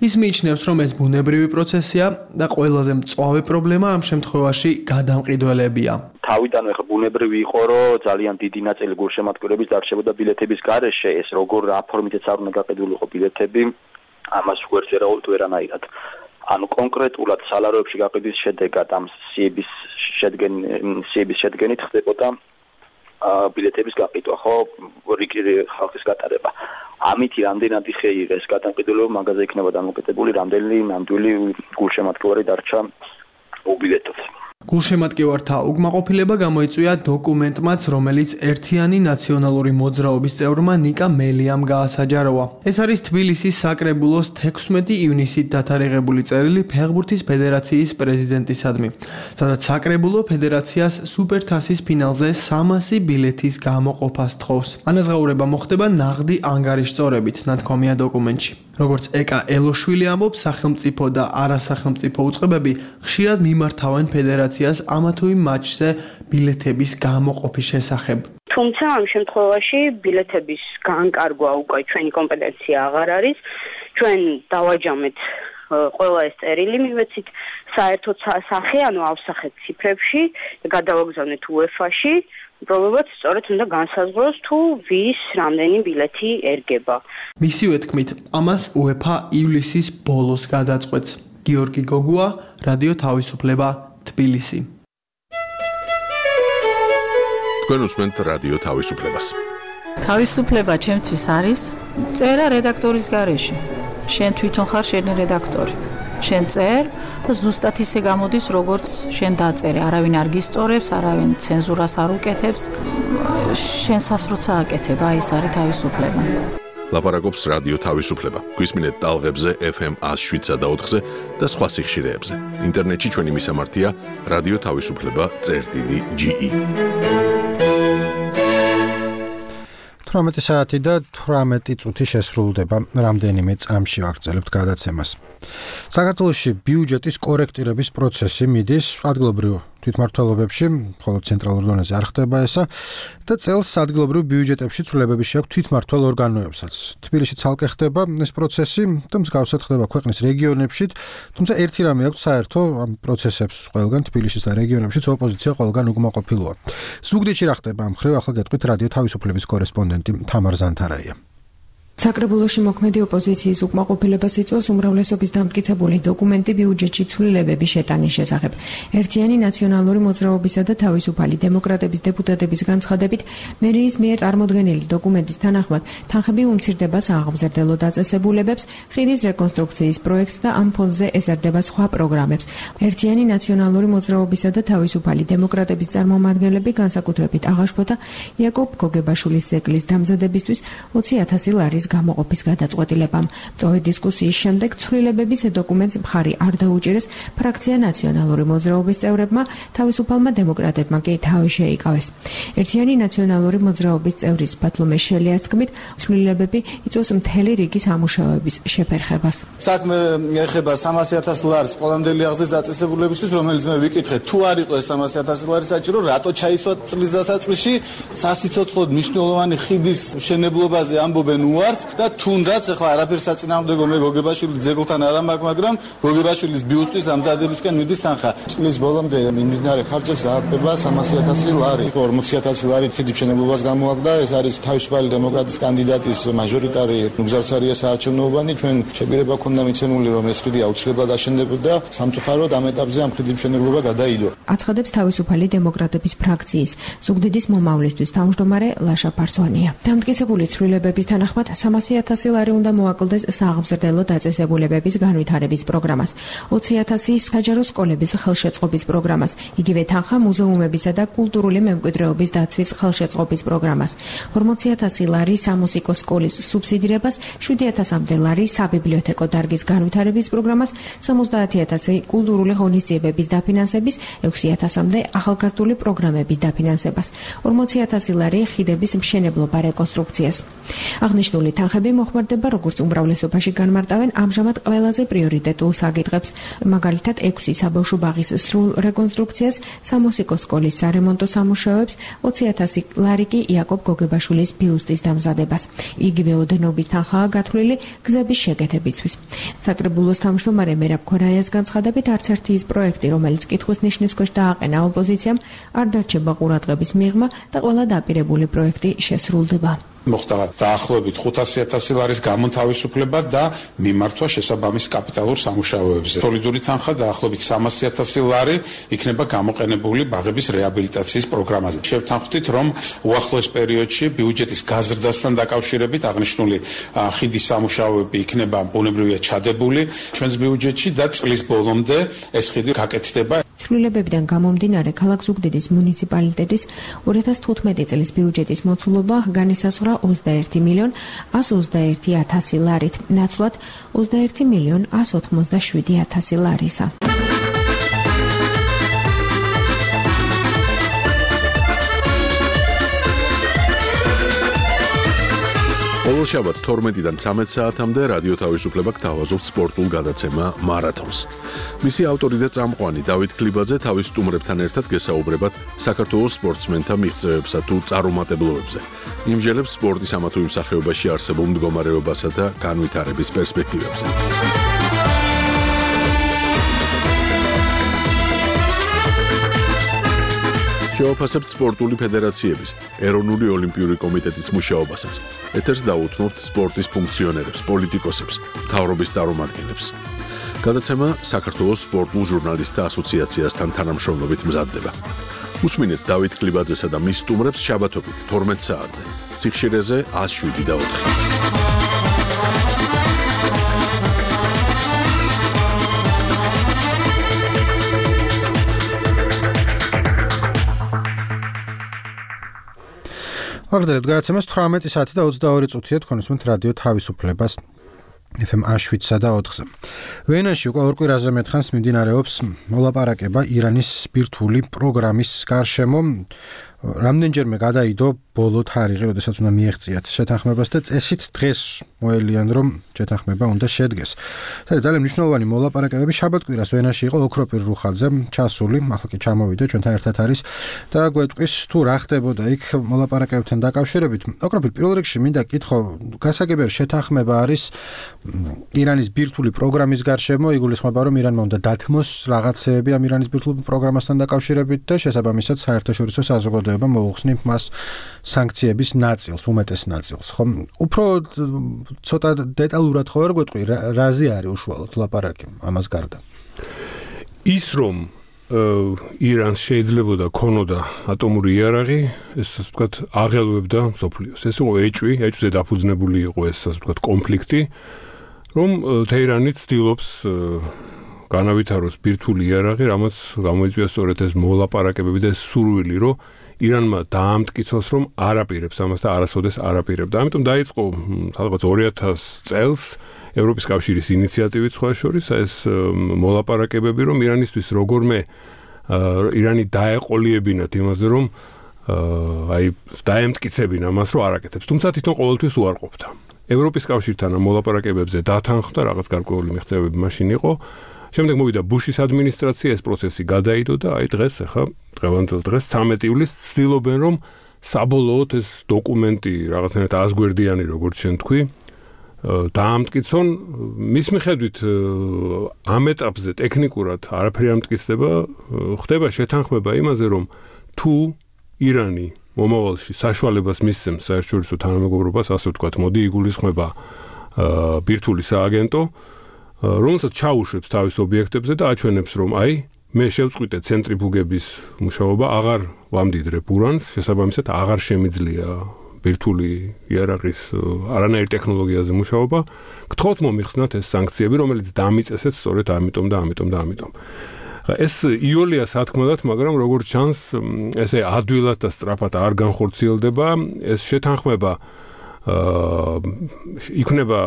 ის მიიჩნევს, რომ ეს ბუნებრივი პროცესია და ყველაზე მწვავე პრობლემა ამ შემთხვევაში გადამყიდველებია. თავიდანვე ხა ბუნებრივი იყო, რომ ძალიან დიდი ნაწილი გულშემატკივრების დარჩებოდა ბილეთების გარეშე, ეს როგორ რა ფორმითაც არ უნდა გაყიდულიყო ბილეთები, ამას ვერც ვერაუთ ვერანაირად. ანუ კონკრეტულად სალაროებში გაყიდვის შედეგად ამ სიების შედგენ სიების შედგენით ხდებოდა ბილეთების გაყიდვა, ხო, რიგი ხალხის გატარება. ამით რამდენადი ხეიღეს გადამყიდველობა მაგაზე იქნება დამოკიდებული, რამდენი ნამდვილი გულშემატკივარი დარჩა უბილეთოდ. გულშემატკივართა უკმაყოფილება გამოიწვია დოკუმენტმაც, რომელიც ერთიანი ნაციონალური მოძრაობის წევრმა ნიკა მელიამ გაასაჯაროა. ეს არის თბილისის საკრებულოს თექვსმეტი ივნისით დათარიღებული წერილი ფეხბურთის ფედერაციის პრეზიდენტისადმი, სადაც საკრებულო ფედერაციას სუპერთასის ფინალზე სამასი ბილეთის გამოყოფას თხოვს. ანაზღაურება მოხდება ნაღდი ანგარიშწორებით, ნათქვამია დოკუმენტში. როგორც ეკა ელოშვილი ამბობს, სახელმწიფო და არასახელმწიფო უწყებები ხშირად მიმართავენ ფედერაციას ამა თუ იმ მატჩზე ბილეთების გამოყოფის შესახებ. თუმცა ამ შემთხვევაში ბილეთების განკარგვა უკვე ჩვენი კომპეტენცია აღარ არის. ჩვენ დავაჯამეთ ყველა ეს წერილი, მივეცით საერთო სახე, ანუ ავსახეთ ციფრებში, გადავაგზავნეთ უეფა-ში. პრობლემაც სწორედ უნდა განსაზღვროს თუ ვის რამდენი ბილეთი ერგება. მისივე თქმით, ამას უეფა ივლისის ბოლოს გადაწყვეტს. გიორგი გოგუა, რადიო თავისუფლება, თბილისი. თქვენ უსმენთ რადიო თავისუფლებას. თავისუფლება ჩემთვის არის წერა რედაქტორის გარეშე. შენ თვითონ ხარ შენი რედაქტორი. შენ წერ და ზუსტად ისე გამოდის, როგორც შენ დაწერე. არავინ არ გისწორებს, არავინ ცენზურას არ უკეთებს. შენსას როცა აკეთებ, აი ეს არის თავისუფლება. ლაპარაკობს რადიო თავისუფლება. გვისმინეთ ტალღებზე ეფ ემ ათს შვიდსა და ოთხზე და სხვა სიხშირეებზე. ინტერნეტში ჩვენი მისამართია რადიო თავისუფლება წერტილი ჯი ი. თვრამეტი საათი და თვრამეტი წუთი შესრულდება. რამდენიმე წამში ვაგრძელებთ გადაცემას. საქართველოში ბიუჯეტის კორექტირების პროცესი მიდის ადგილობრივ თვითმმართველობებში, მხოლოდ ცენტრალურ დონეზე არ ხდება ესა და წელს ადგილობრივ ბიუჯეტებში ცვლილებები შეაქვს თვითმმართველ ორგანოებსაც. თბილისში ცალკე ხდება ეს პროცესი და მსგავსად ხდება ქვეყნის რეგიონებში, თუმცა ერთი რამე აქვს საერთო ამ პროცესებს ყველგან თბილისის და რეგიონებშიც ოპოზიცია ყველგან უკმაყოფილოა. ზუგდიდში რა ხდება ამ მხრივ ახლა გეტყვით რადიო თავისუფლების კორესპონდენტი თამარ ზანთარაია. საკრებულოში მოქმედი ოპოზიციის უკმაყოფილებას იწვევს უმრავლესობის დამტკიცებული დოკუმენტი ბიუჯეტში ცვლილებების შეტანის შესახებ. ერთიანი ნაციონალური მოძრაობისა და თავისუფალი დემოკრატების დეპუტატების განცხადებით, მერიის მიერ წარმოდგენილი დოკუმენტის თანახმად, თანხები უმცირდება სააღმზრდელო დაწესებულებებს, ხიდის რეკონსტრუქციის პროექტს და ამ ფონდზე ეზარდება სხვა პროგრამებს. ერთიანი ნაციონალური მოძრაობისა და თავისუფალი დემოკრატების წარმომადგენლები განსაკუთრებით აღაშფოთა იაკობ გოგებაშვილის ზეკლის დამზადებისთვის ოცი ათასი ლარის გამოყოფის გადაწყვეტილებამ. მწვავე დისკუსიის შემდეგ ცვლილებების დოკუმენტს მხარი არ დაუჭირეს ფრაქცია ნაციონალური მოძრაობის წევრებმა, თავისუფალმა დემოკრატებმა კი თავი შეიკავეს. ერთიანი ნაციონალური მოძრაობის წევრის ბათლომე შელიას თქმით, ცვლილებები იწვევს მთელი რიგი სამუშაოების შეფერხებას. საქმე ეხება სამასი ათას ლარს ყველამდელი აღზრდის დაწესებულებისთვის, რომელიც მე ვიკითხეთ, თუ არ იყო ეს სამასი ათასი ლარი საჭირო, რატო ჩაისვა წლის დასაწყისში სასიცოცხლოდ მნიშვნელოვანი ხიდის მშენებლობაზე ამბობენ უარს და თუნდაც ახლა არაფერს საწინააღმდეგო მე გოგებაშვილის ძეგლთან არ ამაქვს, მაგრამ გოგებაშვილის ბიუსტის ამზადებისკენ მიდის თანხა. წლის ბოლომდე მიმდინარე ხარჯებს დაადგება სამასი ათასი ლარი. ორმოცი ათასი ლარი ხიდის მშენებლობას გამოაგდა. ეს არის თავისუფალი დემოკრატიის კანდიდატის მაჟორიტარი ნუგზარსარია საარჩევნოებანი. ჩვენ შეგვირება ქონდა მიცემული, რომ ეს ხიდი აუცილებლად აშენდებოდა. სამწუხაროდ ამ ეტაპზე ამ ხიდის მშენებლობა გადაიდო. აცხადებს თავისუფალი დემოკრატების ფრაქციის ზუგდიდის მომავლისთვის თავმჯდომარე ლაშა ფარცვანია. დამტკიცებული ცვლილებების თანახმად სამასი ათასი ლარი უნდა მოაკლდეს საღმრძლო დაწესებულებების განვითარების პროგრამას, ოცი ათასი საჯარო სკოლების ხელშეწყობის პროგრამას, იგივე თანხა მუზეუმებისა და კულტურული მემკვიდრეობის დაცვის ხელშეწყობის პროგრამას, ორმოცი ათასი ლარი სამუსიკო სკოლის სუბსიდირებას, შვიდი ათასამდე ლარი საბიბლიოთეკო დარგის განვითარების პროგრამას, სამოცდაათი ათასი კულტურული ღონისძიებების დაფინანსების, ექვსი ათასამდე ახალგაზრდული პროგრამების დაფინანსებას, ორმოცი ათასი ლარი ხიდების მშენებლობა რეკონსტრუქციას. აღნიშნული თანხები მოხმარდება როგორც უმრავლესობაში განმარტავენ ამჟამად ყველაზე პრიორიტეტულ საკითხებს, მაგალითად ექვსი საბავშვო ბაღის სრულ რეკონსტრუქციას, სამუსიკო სკოლის სარემონტო სამუშაოებს, ოცი ათასი ლარი კი იაკობ გოგებაშვილის ბიუსტის დამზადებას. იგივე ოდენობის თანხაა გათვლილი გზების შეკეთებისთვის. საკრებულოს თავმჯდომარე მერაბ ქორაიას განცხადებით, არც ერთი ის პროექტი, რომელიც კითხვის ნიშნის ქვეშ დააყენა ოპოზიციამ, არ დარჩება ყურადღების მიღმა და ყველა დაპირებული პროექტი შესრულდება. მოხდა დაახლოებით ხუთასი ათასი ლარის გამონთავისუფლება და მიმართვა შესაბამის კაპიტალურ სამუშაოებზე. სოლიდური თანხა დაახლოებით სამასი ათასი ლარი იქნება გამოყენებული ბაღების რეაბილიტაციის პროგრამაზე. შევთანხმდით, რომ უახლოეს პერიოდში ბიუჯეტის გაზრდასთან დაკავშირებით აღნიშნული ხიდის სამუშაოები იქნება ბუნებრივია ჩადებული ჩვენს ბიუჯეტში და წლის ბოლომდე ეს ხიდი გაკეთდება. ცვლილებებიდან გამომდინარე, ქალაქ ზუგდიდის მუნიციპალიტეტის ორი ათას თხუთმეტი წლის ბიუჯეტის მოცულობა განისაზღვრა ოცდაერთი მილიონ ასი ოცდაერთი ათასი ლარით, ნაცვლად ოცდაერთი მილიონ ასი ოცდაშვიდი ათასი ლარისა. ყოველ შაბათს თორმეტიდან ცამეტ საათამდე რადიო თავისუფლება გთავაზობთ სპორტულ გადაცემა მარათონს. მისი ავტორი და წამყვანი დავით ქლიბაძე თავის სტუმრებთან ერთად გესაუბრებათ საქართველოს სპორტსმენთა მიღწევებსა თუ წარუმატებლობებზე. იმჟელებს სპორტის ამა თუ იმ სახეობაში არსებულ მდგომარეობასა და განვითარების პერსპექტივებზე. შევაფასებთ სპორტული ფედერაციების, ეროვნული ოლიმპიური კომიტეტის მუშაობასაც. ეთერს დაუთმობთ სპორტის ფუნქციონერებს, პოლიტიკოსებს, მთავრობის წარმომადგენლებს. გადაცემა საქართველოს სპორტულ ჟურნალისტთა ასოციაციასთან თანამშრომლობით მზადდება. უსმინეთ დავით ქლიბაძესა და მის სტუმრებს შაბათობით თორმეტ საათზე. სიხშირეზე ათს შვიდი და ოთხი. აგრძელებთ გადაცემას თვრამეტი საათი და ოცდაორი წუთია თქვენ უსმენთ რადიო თავისუფლებას ეფ ემ შვიდსა და ოთხზე. ვენაში უკვე ორ კვირაზე მეტხანს მიმდინარეობს მოლაპარაკება ირანის ბირთვული პროგრამის გარშემო. რამდენჯერმე გადაიდო ბოლო თარიღი, როდესაც უნდა მიეღწიათ შეთანხმებას და წესით დღეს მოელიან, რომ შეთანხმება უნდა შედგეს. ეს ძალიან მნიშვნელოვანი მოლაპარაკებები შაბათ-კვირას ვენაში იყო ოქროპირ რუხაძე ჩასული, ახლა კი ჩამოვიდა ჩვენთან ერთად არის და გვეტყვის თუ რა ხდებოდა იქ მოლაპარაკებებთან დაკავშირებით. ოქროპირ პირველ რიგში მინდა კითხო, გასაგებია შეთანხმება არის ირანის ბირთვული პროგრამის გარშემო, იგულისხმება რომ ირანმა უნდა დათმოს რაღაცეები ამ ირანის ბირთვული პროგრამასთან დაკავშირებით და შესაბამისად საერთაშორისო საზოგადოება მოუხსნით მას სანქციების ნაწილს, უმეტეს ნაწილს, ხო? უფრო ცოტა დეტალურად ხო ვერ გვეტყვი, რაზე არის უშუალოდ ლაპარაკი ამას გარდა? ის რომ ირანს შეიძლებოდა ქონოდა ატომური იარაღი, ეს ასე ვთქვათ, აღელვებდა მსოფლიოს. ეს იყო ეჭვი, ეჭვზე დაფუძნებული იყო ეს ასე ვთქვათ კონფლიქტი, რომ თეირანი ცდილობს განავითაროს ბირთვული იარაღი, რამაც გამოიწვია სწორედ ეს მოლაპარაკებები და ეს სურვილი, რომ ირანმა დაამტკიცოს, რომ არ აპირებს ამას და არასოდეს არ აპირებდა. ამიტომ დაიწყო სადღაც ორი ათას წელს ევროპის კავშირის ინიციატივით სხვა შორის ეს მოლაპარაკებები, რომ ირანისთვის როგორმე ირანი დაეყოლიებინათ იმაზე, რომ აი დაემტკიცებინა მას, რომ არ აკეთებს. თუმცა თვითონ ყოველთვის უარყოფდა. ევროპის კავშირთან ამ მოლაპარაკებებზე დათანხმდა, რაღაც გარკვეული მიღწევები მაშინ იყო. შემდეგ მოვიდა ბუშის ადმინისტრაცია, ეს პროცესი გადაიდო და აი დღეს ახლა დღევანდელ დღეს ცამეტი ივლისს ცდილობენ, რომ საბოლოოდ ეს დოკუმენტი რაღაცნაირად აზგვერდიანი, როგორც შენ თქვი, დაამტკიცონ. მის მიხედვით ამ ეტაპზე ტექნიკურად არაფერი ამტკიცდება, ხდება შეთანხმება იმაზე, რომ თუ ირანი მომავალში საშუალებას მისცემს საერთაშორისო თანამეგობრობას, ასე ვთქვათ, მოდი იგულისხმება ბირთვული სააგენტო, რომელსაც ჩაუშვებს თავის ობიექტებზე და აჩვენებს, რომ აი, მე შევწყვიტე ცენტრიფუგების მუშაობა, აღარ ვამდიდრებ ურანს, შესაბამისად აღარ შემიძლია ბირთვული იარაღის არანაირ ტექნოლოგიაზე მუშაობა, გთხოვთ მომიხსნათ ეს სანქციები, რომელიც დამიწესეთ სწორედ ამიტომ და ამიტომ და ამიტომ. ეს იოლია სათქმელად, მაგრამ როგორც ჩანს, ესე ადვილად და სწრაფად არ განხორციელდება, ეს შეთანხმება აა იქნება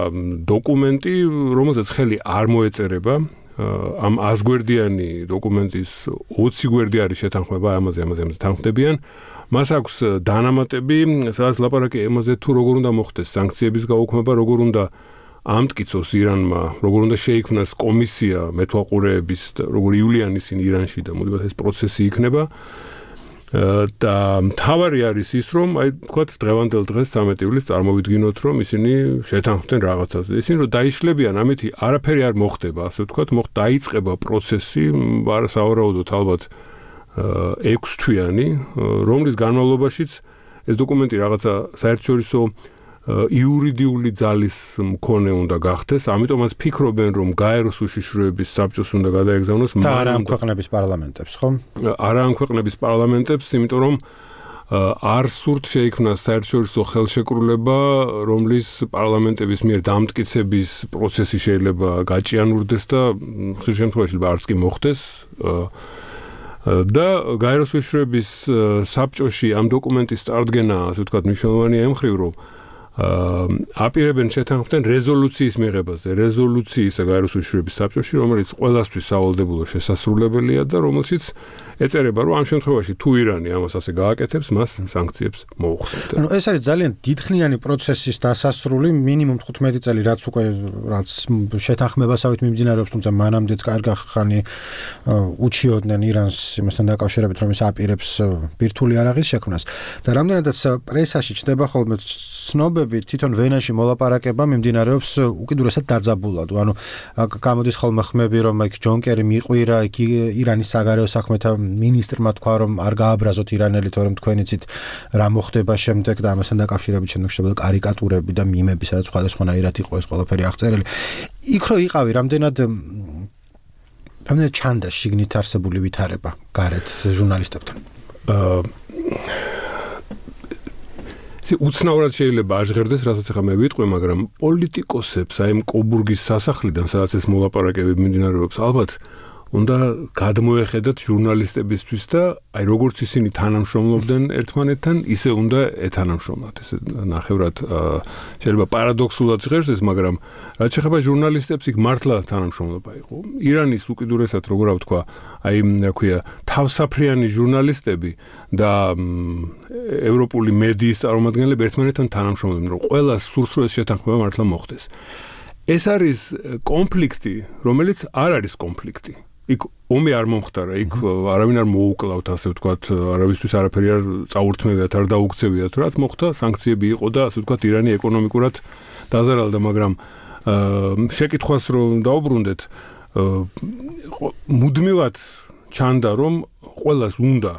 დოკუმენტი, რომელზეც ხელი არ მოეწერება. ამ აზგვერდიანი დოკუმენტის ოცი გვერდი არის შეთანხმება, ამაზე ამაზე ამაზე თანხმდებიან. მას აქვს დანამატები, სადაც ლაპარაკია იმაზე, თუ როგორ უნდა მოხდეს სანქციების გაუქმება, როგორ უნდა ამტკიცოს ირანმა, როგორ უნდა შეიქმნას კომისია მეთვალყურეების, როგორ ივლიან ისინი ირანში და მოდიბათ ეს პროცესი იქნება. და მთავარი არის ის, რომ აი თქვათ დღევანდელ დღეს ცამეტი ივლისს წარმოვიდგინოთ, რომ ისინი შეთანხმდნენ რაღაცაზე. ისინი რომ დაიშლებიან, ამეთი არაფერი არ მოხდება, ასე ვთქვათ, მოხ დაიწყება პროცესი, სავარაუდოდ ალბათ ექვს თვიანი, რომლის განმავლობაშიც ეს დოკუმენტი რაღაცა საერთაშორისო იურიდიული ძალის მქონე უნდა გახდეს, ამიტომაც ფიქრობენ, რომ გაეროს უშიშროების საბჭოს უნდა გადაეგზავნოს და არა ამ ქვეყნების პარლამენტებს, ხო? არა ამ ქვეყნების პარლამენტებს, იმიტომ რომ არ სურთ შეიქმნას საერთაშორისო ხელშეკრულება, რომლის პარლამენტების მიერ დამტკიცების პროცესი შეიძლება გაჭიანურდეს და ხშირ შემთხვევაში არც კი მოხდეს. და გაეროს უშიშროების საბჭოში ამ დოკუმენტის წარდგენა, ასე ვთქვათ, მნიშვნელოვანია იმ მხრივ, რომ აპირებენ შეთანხმდნენ რეზოლუციის მიღებაზე, რეზოლუციისა გაეროს უშიშროების საბჭოში, რომელიც ყველასთვის სავალდებულო შესასრულებელია და რომელშიც ეწერება, რომ ამ შემთხვევაში თუ ირანი ამას ასე გააკეთებს, მას სანქციებს მოუხსნებდა. ანუ ეს არის ძალიან დიდხნიანი პროცესის დასასრული, მინიმუმ თხუთმეტი წელი, რაც უკვე რაც შეთანხმებასავით მიმდინარეობს, თუმცა მანამდეც კარგი ხანი უჩიოდნენ ირანს იმასთან დაკავშირებით, რომ ის აპირებს ბირთვული იარაღის შექმნას. და რამდენადაც პრესაში ჩნდება ხოლმე ცნობები, თვითონ ვენაში მოლაპარაკება მიმდინარეობს უკიდურესად დაძაბულად. ანუ გამოდის ხოლმე ხმები, რომ იქ ჯონ კერი მიყვირა, იქ ირანის საგარეო საქმეთა მინისტრმა თქვა, რომ არ გააბრაზოთ ირანელი, თორემ თქვენიცით რა მოხდება შემდეგ და ამასთან დაკავშირებით შემდეგ შედებოდა კარიკატურები და მიმები, სადაც სხვადასხვანაირად იყო ეს ყველაფერი აღწერილი. იქ რო იყავი, რამდენად რამდენად ჩანდა შიგნით არსებული ვითარება გარეთ ჟურნალისტებთან. აა ისი უცნაურად შეიძლება აჟღერდეს, რასაც ახლა მე ვიტყვი, მაგრამ პოლიტიკოსებს აი ამ კობურგის სასახლიდან, სადაც ეს მოლაპარაკებები მიმდინარეობს, ალბათ უნდა გადმოეხედათ ჟურნალისტებისთვის და აი როგორც ისინი თანამშრომლობდნენ ერთმანეთთან, ისე უნდა ეთანამშრომლოთ. ესე ნახევრად შეიძლება პარადოქსულად ჟღერს ეს, მაგრამ რაც შეეხება ჟურნალისტებს, იქ მართლა თანამშრომლობა იყო. ირანის უკიდურესად, როგორ ვთქვა, აი რა ქვია, თავსაფრიანი ჟურნალისტები და ევროპული მედიის წარმომადგენლები ერთმანეთთან თანამშრომლობდნენ, რომ ყველა სურსულეს შეთანხმება მართლა მოხდეს. ეს არის კონფლიქტი, რომელიც არ არის კონფლიქტი. იქ ომი არ მომხდარა, იქ არავინ არ მოუკლავთ, ასე ვთქვათ, არავისთვის არაფერი არ წაურთმევიათ, არ დაუქცევიათ, რაც მოხდა, სანქციები იყო და ასე ვთქვათ, ირანი ეკონომიკურად დაზარალდა, მაგრამ შეკითხვას რომ დაუბრუნდეთ, მუდმივად ჩანდა, რომ ყველას უნდა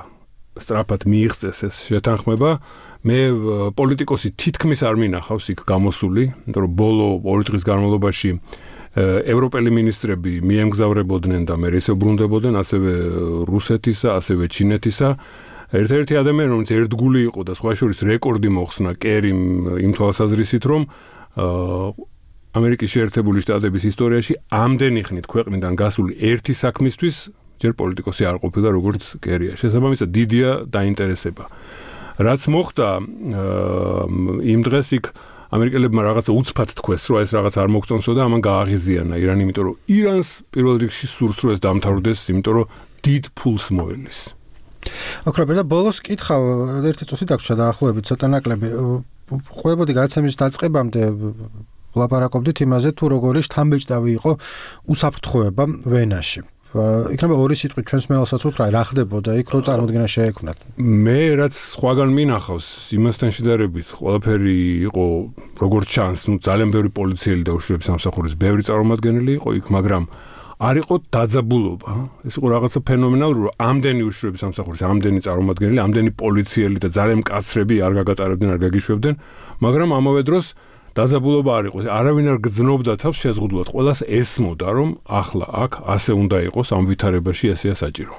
სწრაფად მიიღწეს ეს შეთანხმება. მე პოლიტიკოსი თითქმის არ მინახავს იქ გამოსული, იმიტომ რომ ბოლო ორი დღის განმავლობაში ევროპელი მინისტრები მიემგზავრებოდნენ და მე ისე ბრუნდებოდნენ, ასევე რუსეთისა, ასევე ჩინეთისა. ერთ-ერთი ადამიანი, რომელიც ერთგული იყო და სხვა შორის რეკორდი მოხსნა კერიმ იმ თვალსაზრისით, რომ ამერიკის შეერთებული შტატების ისტორიაში ამდენი ხნით ქვეყნიდან გასული ერთი საქმისთვის ჯერ პოლიტიკოსი არ ყოფილა, როგორც კერია. შესაბამისად, დიდია დაინტერესება. რაც მოხდა იმ დღეს იქ ამერიკელებმა რაღაცა უცბად თქვეს, რომ ეს რაღაც არ მოგწონსო და ამან გააღიზიანა ირანი, იმიტომ რომ ირანს პირველ რიგში სურს, რომ ეს დამთავრდეს, იმიტომ რომ დიდ ფულს მოელის. აკრაბა და ბოლოს კითხავ, ერთი წუთი დაგვრჩა დაახლოებით ცოტა ნაკლები. ყვებოდი გადაცემის დაწყებამდე ვლაპარაკობდით იმაზე, თუ როგორი შთამბეჭდავი იყო უსაფრთხოება ვენაში. იქნება ორი სიტყვით ჩვენს მელასაც უთხრა, რა ხდებოდა იქ, რო წარმოდგენა შეექმნათ. მე რაც სხვაგან მინახავს, იმასთან შედარებით, ყველაფერი იყო როგორც ჩანს, ნუ ძალიან ბევრი პოლიციელი და უშიშროების სამსახურის ბევრი წარმომადგენელი იყო იქ, მაგრამ არ იყო დაძაბულობა. ეს იყო რაღაცა ფენომენალური, რომ ამდენი უშიშროების სამსახურის, ამდენი წარმომადგენელი, ამდენი პოლიციელი და ძალიან მკაცრები არ გაგატარებდნენ, არ გაგიშვებდნენ, მაგრამ ამავე დროს დაძაბულობა არ იყო. არავინ არ გძნობდა თავს შეზღუდულად. ყველას ესმოდა, რომ ახლა აქ ასე უნდა იყოს, ამ ვითარებაში ესეა საჭირო.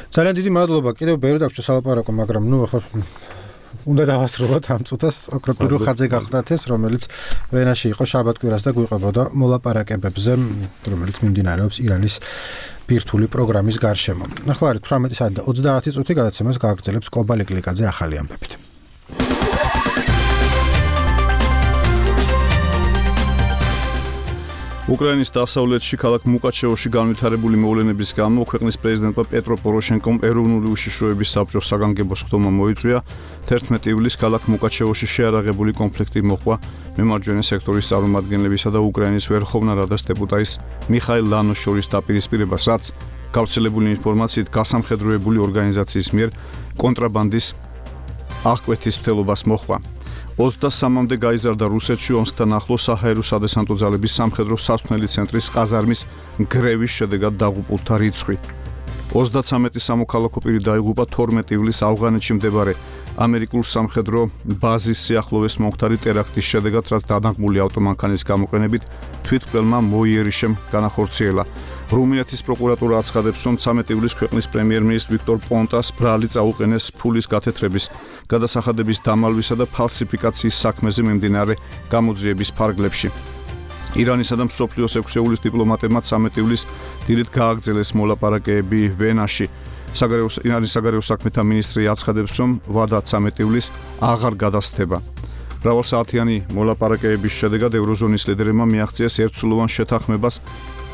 ძალიან დიდი მადლობა. კიდევ ბევრი დაგვჭირდა სალაპარაკო, მაგრამ ნუ ახლა უნდა დავასრულოთ ამ წუთას ოქროპირო ხაძე გახდათ ეს, რომელიც ვენაში იყო შაბათ-კვირას და გვიყვებოდა მოლაპარაკებებზე, რომელიც მიმდინარეობს ირანის ბირთვული პროგრამის გარშემო. ახლა არის თვრამეტი საათი და ოცდაათი წუთი, გადაცემას გააგრძელებს კობალე გლიკაძე ახალი ამბებით. უკრაინის დასავლეთში ქალაქ მუკაჩევოში განვითარებული მოვლენების გამო ქვეყნის პრეზიდენტმა პეტრო პოროშენკომ ეროვნული უშიშროების საბჭოს საგანგებო სხდომა მოიწვია. თერთმეტი ივლისს ქალაქ მუკაჩევოში შეარაღებული კონფლიქტი მოხდა მემარჯვენე სექტორის წარმომადგენლებისა და უკრაინის ვერხოვნა რადას დეპუტატის მიხაილ ლანოს შორის დაპირისპირებას, რაც გავრცელებული ინფორმაციით გასამხედროებული ორგანიზაციის მიერ კონტრაბანდის აღკვეთის მცდელობას მოხდა. ოცდასამამდე გაიზარდა რუსეთში ომსკთან ახლოს საჰაერო სადესანტო ძალების სამხედრო სასვენელი ცენტრის ყაზარმის გრევის შედეგად დაღუპულთა რიცხვი. ოცდაცამეტი სამოქალაქო პირი დაიღუპა თორმეტი ივლისს ავღანეთში მდებარე ამერიკულ სამხედრო ბაზის სიახლოვეს მომხდარი ტერაქტის შედეგად, რაც დანაღმული ავტომანქანის გამოყენებით თვითმკვლელმა მოიერიშემ განახორციელა. რუმინეთის პროკურატურა აცხადებს, რომ ცამეტი ივლისს ქვეყნის პრემიერ-მინისტრ ვიქტორ პონტას ბრალი წაუყენეს ფულის გათეთრების, გადასახადების დამალვისა და ფალსიფიკაციის საქმეზე მიმდინარე გამოძიების ფარგლებში. ირანისა და მსოფლიოს ექვსეულის დიპლომატებმა ცამეტი ივლისს დილით გააგრძელეს მოლაპარაკებები ვენაში. ირანის საგარეო საქმეთა მინისტრი აცხადებს, რომ ვადა ცამეტი ივლისს აღარ გადასდება. მრავალსაათიანი მოლაპარაკებების შედეგად ევროზონის ლიდერებმა მიაღწიეს ერთსულოვან შეთანხმებას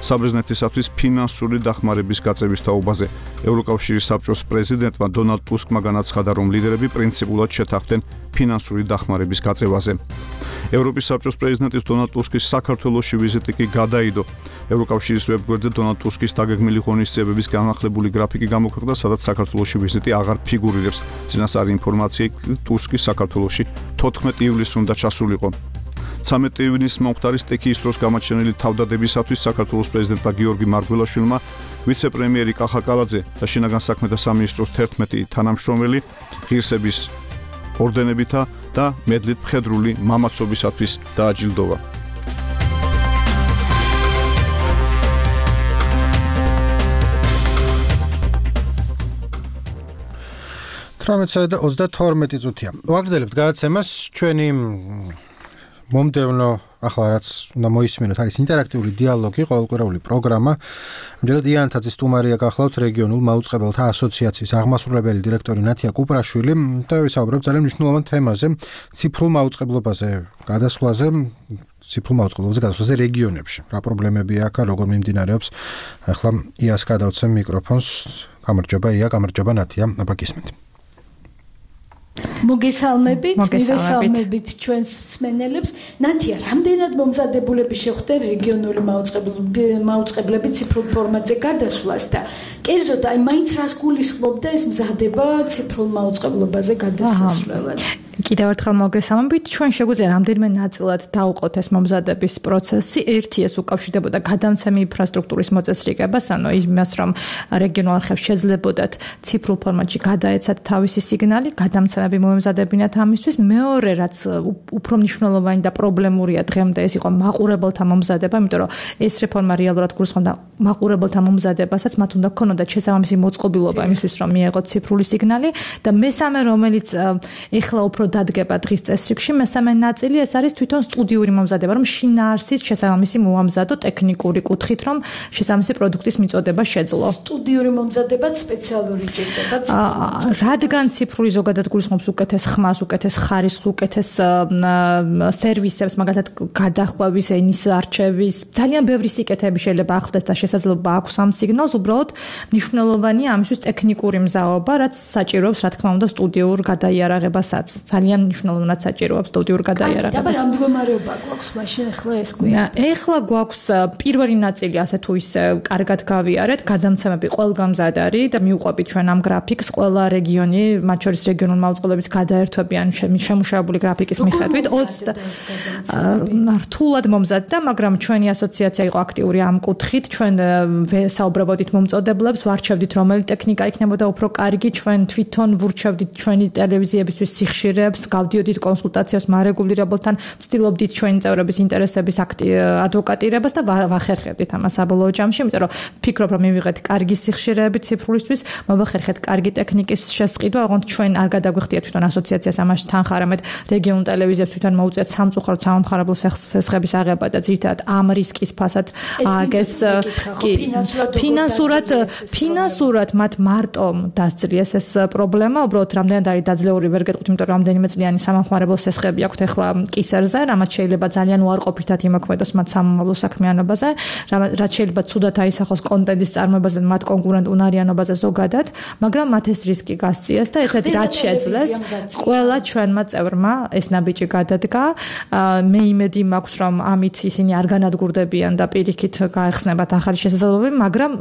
საბერძნეთისათვის ფინანსური დახმარების გაწევის თაობაზე. ევროკავშირის საბჭოს პრეზიდენტმა დონალდ ტუსკმა განაცხადა, რომ ლიდერები პრინციპულად შეთანხმდნენ ფინანსური დახმარების გაწევაზე. ევროპის საბჭოს პრეზიდენტის დონალდ ტუსკის საქართველოში ვიზიტი კი გადაიდო. ევროკავშირის ვებგვერდზე დონალდ ტუსკის დაგეგმილი ღონისძიებების განახლებული გრაფიკი გამოქვეყნდა, სადაც საქართველოში ვიზიტი აღარ ფიგურირებს. წინასწარი ინფორმაცია ტუსკის საქართველოში თოთხმეტი ივლისს უნდა ჩასულიყო. ცამეტი ივნისს მომხდარი სტექიის დროს გამოჩენილი თავდადებისათვის საქართველოს პრეზიდენტმა გიორგი მარგველაშვილმა, ვიცე-პრემიერი კახა კალაძე და შინაგან საქმეთა სამინისტროს თერთმეტი თანამშრომელი ღირსების ორდენებითა და მედლით მხედრული მამაცობისათვის დააჯილდოვა. თვრამეტი და ოცდათორმეტი წუთია. ვაგრძელებთ გადაცემას ჩვენი მომდევნო ახლა რაც უნდა მოისმინოთ არის ინტერაქტიული დიალოგი, ყოველკვირეული პროგრამა. ამჯერად იანთაძის სტუმარია გახლავთ რეგიონულ მაუწყებელთა ასოციაციის აღმასრულებელი დირექტორი ნათია კუპრაშვილი და ვისაუბრებთ ძალიან მნიშვნელოვან თემაზე, ციფრულ მაუწყებლობაზე, გადასვლაზე, ციფრულ მაუწყებლობაზე გადასვლაზე რეგიონებში. რა პრობლემებია აქ, როგორ მიმდინარეობს? ახლა იას გადავცემ მიკროფონს. გამარჯობა ია, გამარჯობა ნათია, აბა გისმენთ. მოგესალმებით, მივესალმებით ჩვენს მსმენელებს. ნათია, რამდენად მომზადებულები შეხვდეთ რეგიონული მაუწყებლები ციფრულ ფორმატზე გადასვლას და კერძოდ აი მაინც რას გულისხმობდა ეს მზადება ციფრულ მაუწყებლობაზე გადასვლელად? კიდევ ერთხელ მოგესალმებით. ჩვენ შეგვიძლია რამდენიმე ნაწილად დავუყოთ ეს მომზადების პროცესი. ერთი ეს უკავშირდებოდა გადამცემი ინფრასტრუქტურის მოწესრიგებას, ანუ იმას, რომ რეგიონულ არხებს შეძლებოდათ ციფრულ ფორმატში გადაეცათ თავისი სიგნალი, გადამცემები მოემზადებინათ ამისთვის. მეორე, რაც უფრო მნიშვნელოვანი და პრობლემურია დღემდე, ეს იყო მაყურებელთა მომზადება, იმიტომ რომ ეს რეფორმა რეალურად გულისხმობდა მაყურებელთა მომზადებასაც, მათ უნდა ქონოდათ შესაბამისი მოწყობილობა იმისთვის, რომ მიეღოთ ციფრული სიგნალი და მესამე, რომელიც ეხლა უფრო დადგება დღის წესრიგში, მესამე ნაწილი ეს არის თვითონ სტუდიური მომზადება, რომ შინაარსის შესაბამისი მოამზადო ტექნიკური კუთხით, რომ შესაბამისი პროდუქტის მიწოდება შეძლო. სტუდიური მომზადება სპეციალური ჭირდება ციფრული. რადგან ციფრული ზოგადად გულისხმობს უკეთეს ხმას, უკეთეს ხარისხს, უკეთეს სერვისებს, მაგალითად გადახვევის, ენის არჩევის, ძალიან ბევრი სიკეთეები შეიძლება ახლდეს და შესაძლებლობა აქვს ამ სიგნალს, უბრალოდ მნიშვნელოვანია ამისთვის ტექნიკური მზაობა, რაც საჭიროებს, რა თქმა უნდა, სტუდიურ გადაიარაღებასაც. ძალიან მნიშვნელოვნად საჭიროებს სტუდიურ გადაიარაღებას. და რა მდგომარეობა გვაქვს მაშინ ახლა ეს გვია? ეხლა გვაქვს პირველი ნაწილი ასე თუ ისე კარგად გავიარეთ, გადამცემები ყველგან მზად არის და მიუყვებით ჩვენ ამ გრაფიკს, ყველა რეგიონი, მათ შორის რეგიონულ მაუწყებლობის გადაერთვებიან შემუშავებული გრაფიკის მიხედვით ოცდა რთულად მომზადდა, მაგრამ ჩვენი ასოციაცია იყო აქტიური ამ კუთხით, ჩვენ საუბრობოდით მომწოდებლებს, ვარჩევდით რომელი ტექნიკა იქნებოდა უფრო კარგი, ჩვენ თვითონ ვურჩევდით ჩვენი ტელევიზიებისთვის სიხშირე კავშირებს, გავდიოდით კონსულტაციებს მარეგულირებელთან, ვცდილობდით ჩვენი წევრების ინტერესების ადვოკატირებას და ვახერხებდით ამას საბოლოო ჯამში, იმიტომ რომ ფიქრობ რომ მივიღეთ კარგი სიხშირეები ციფრულისთვის, მოვახერხეთ კარგი ტექნიკის შესყიდვა, ოღონდ ჩვენ არ გადაგვიხდიათ თვითონ ასოციაციას ამაში თან ხარ, ამეთ რეგიონულ ტელევიზიებს თვითონ მოუწიათ სამწუხაროდ სამომხმარებლო სესხების აღება და ძირითადად ამ რისკის ფასად ააგეს ფინანსურად ფინანსურად მათ მარტო დასწრიეს ეს პრობლემა, უბრალოდ რამდენად არის დაძლეული ვერ გეტყვით, იმიტომ რომ რამდენიმე წლიანი სამომხმარებლო სესხები აქვთ ახლა კისერზე, რამაც შეიძლება ძალიან უარყოფითად იმოქმედოს მათ სამომავლო საქმიანობაზე, რაც შეიძლება ცუდად აისახოს კონტენტის წარმოებაზე, მათ კონკურენტ უნარიანობაზე ზოგადად, მაგრამ მათ ეს რისკი გასწიეს და ეხლა რაც შეძლეს, ყველა ჩვენმა წევრმა ეს ნაბიჯი გადადგა. მე იმედი მაქვს, რომ ამით ისინი არ განადგურდებიან და პირიქით გაეხსნებათ ახალი შესაძლებლობები, მაგრამ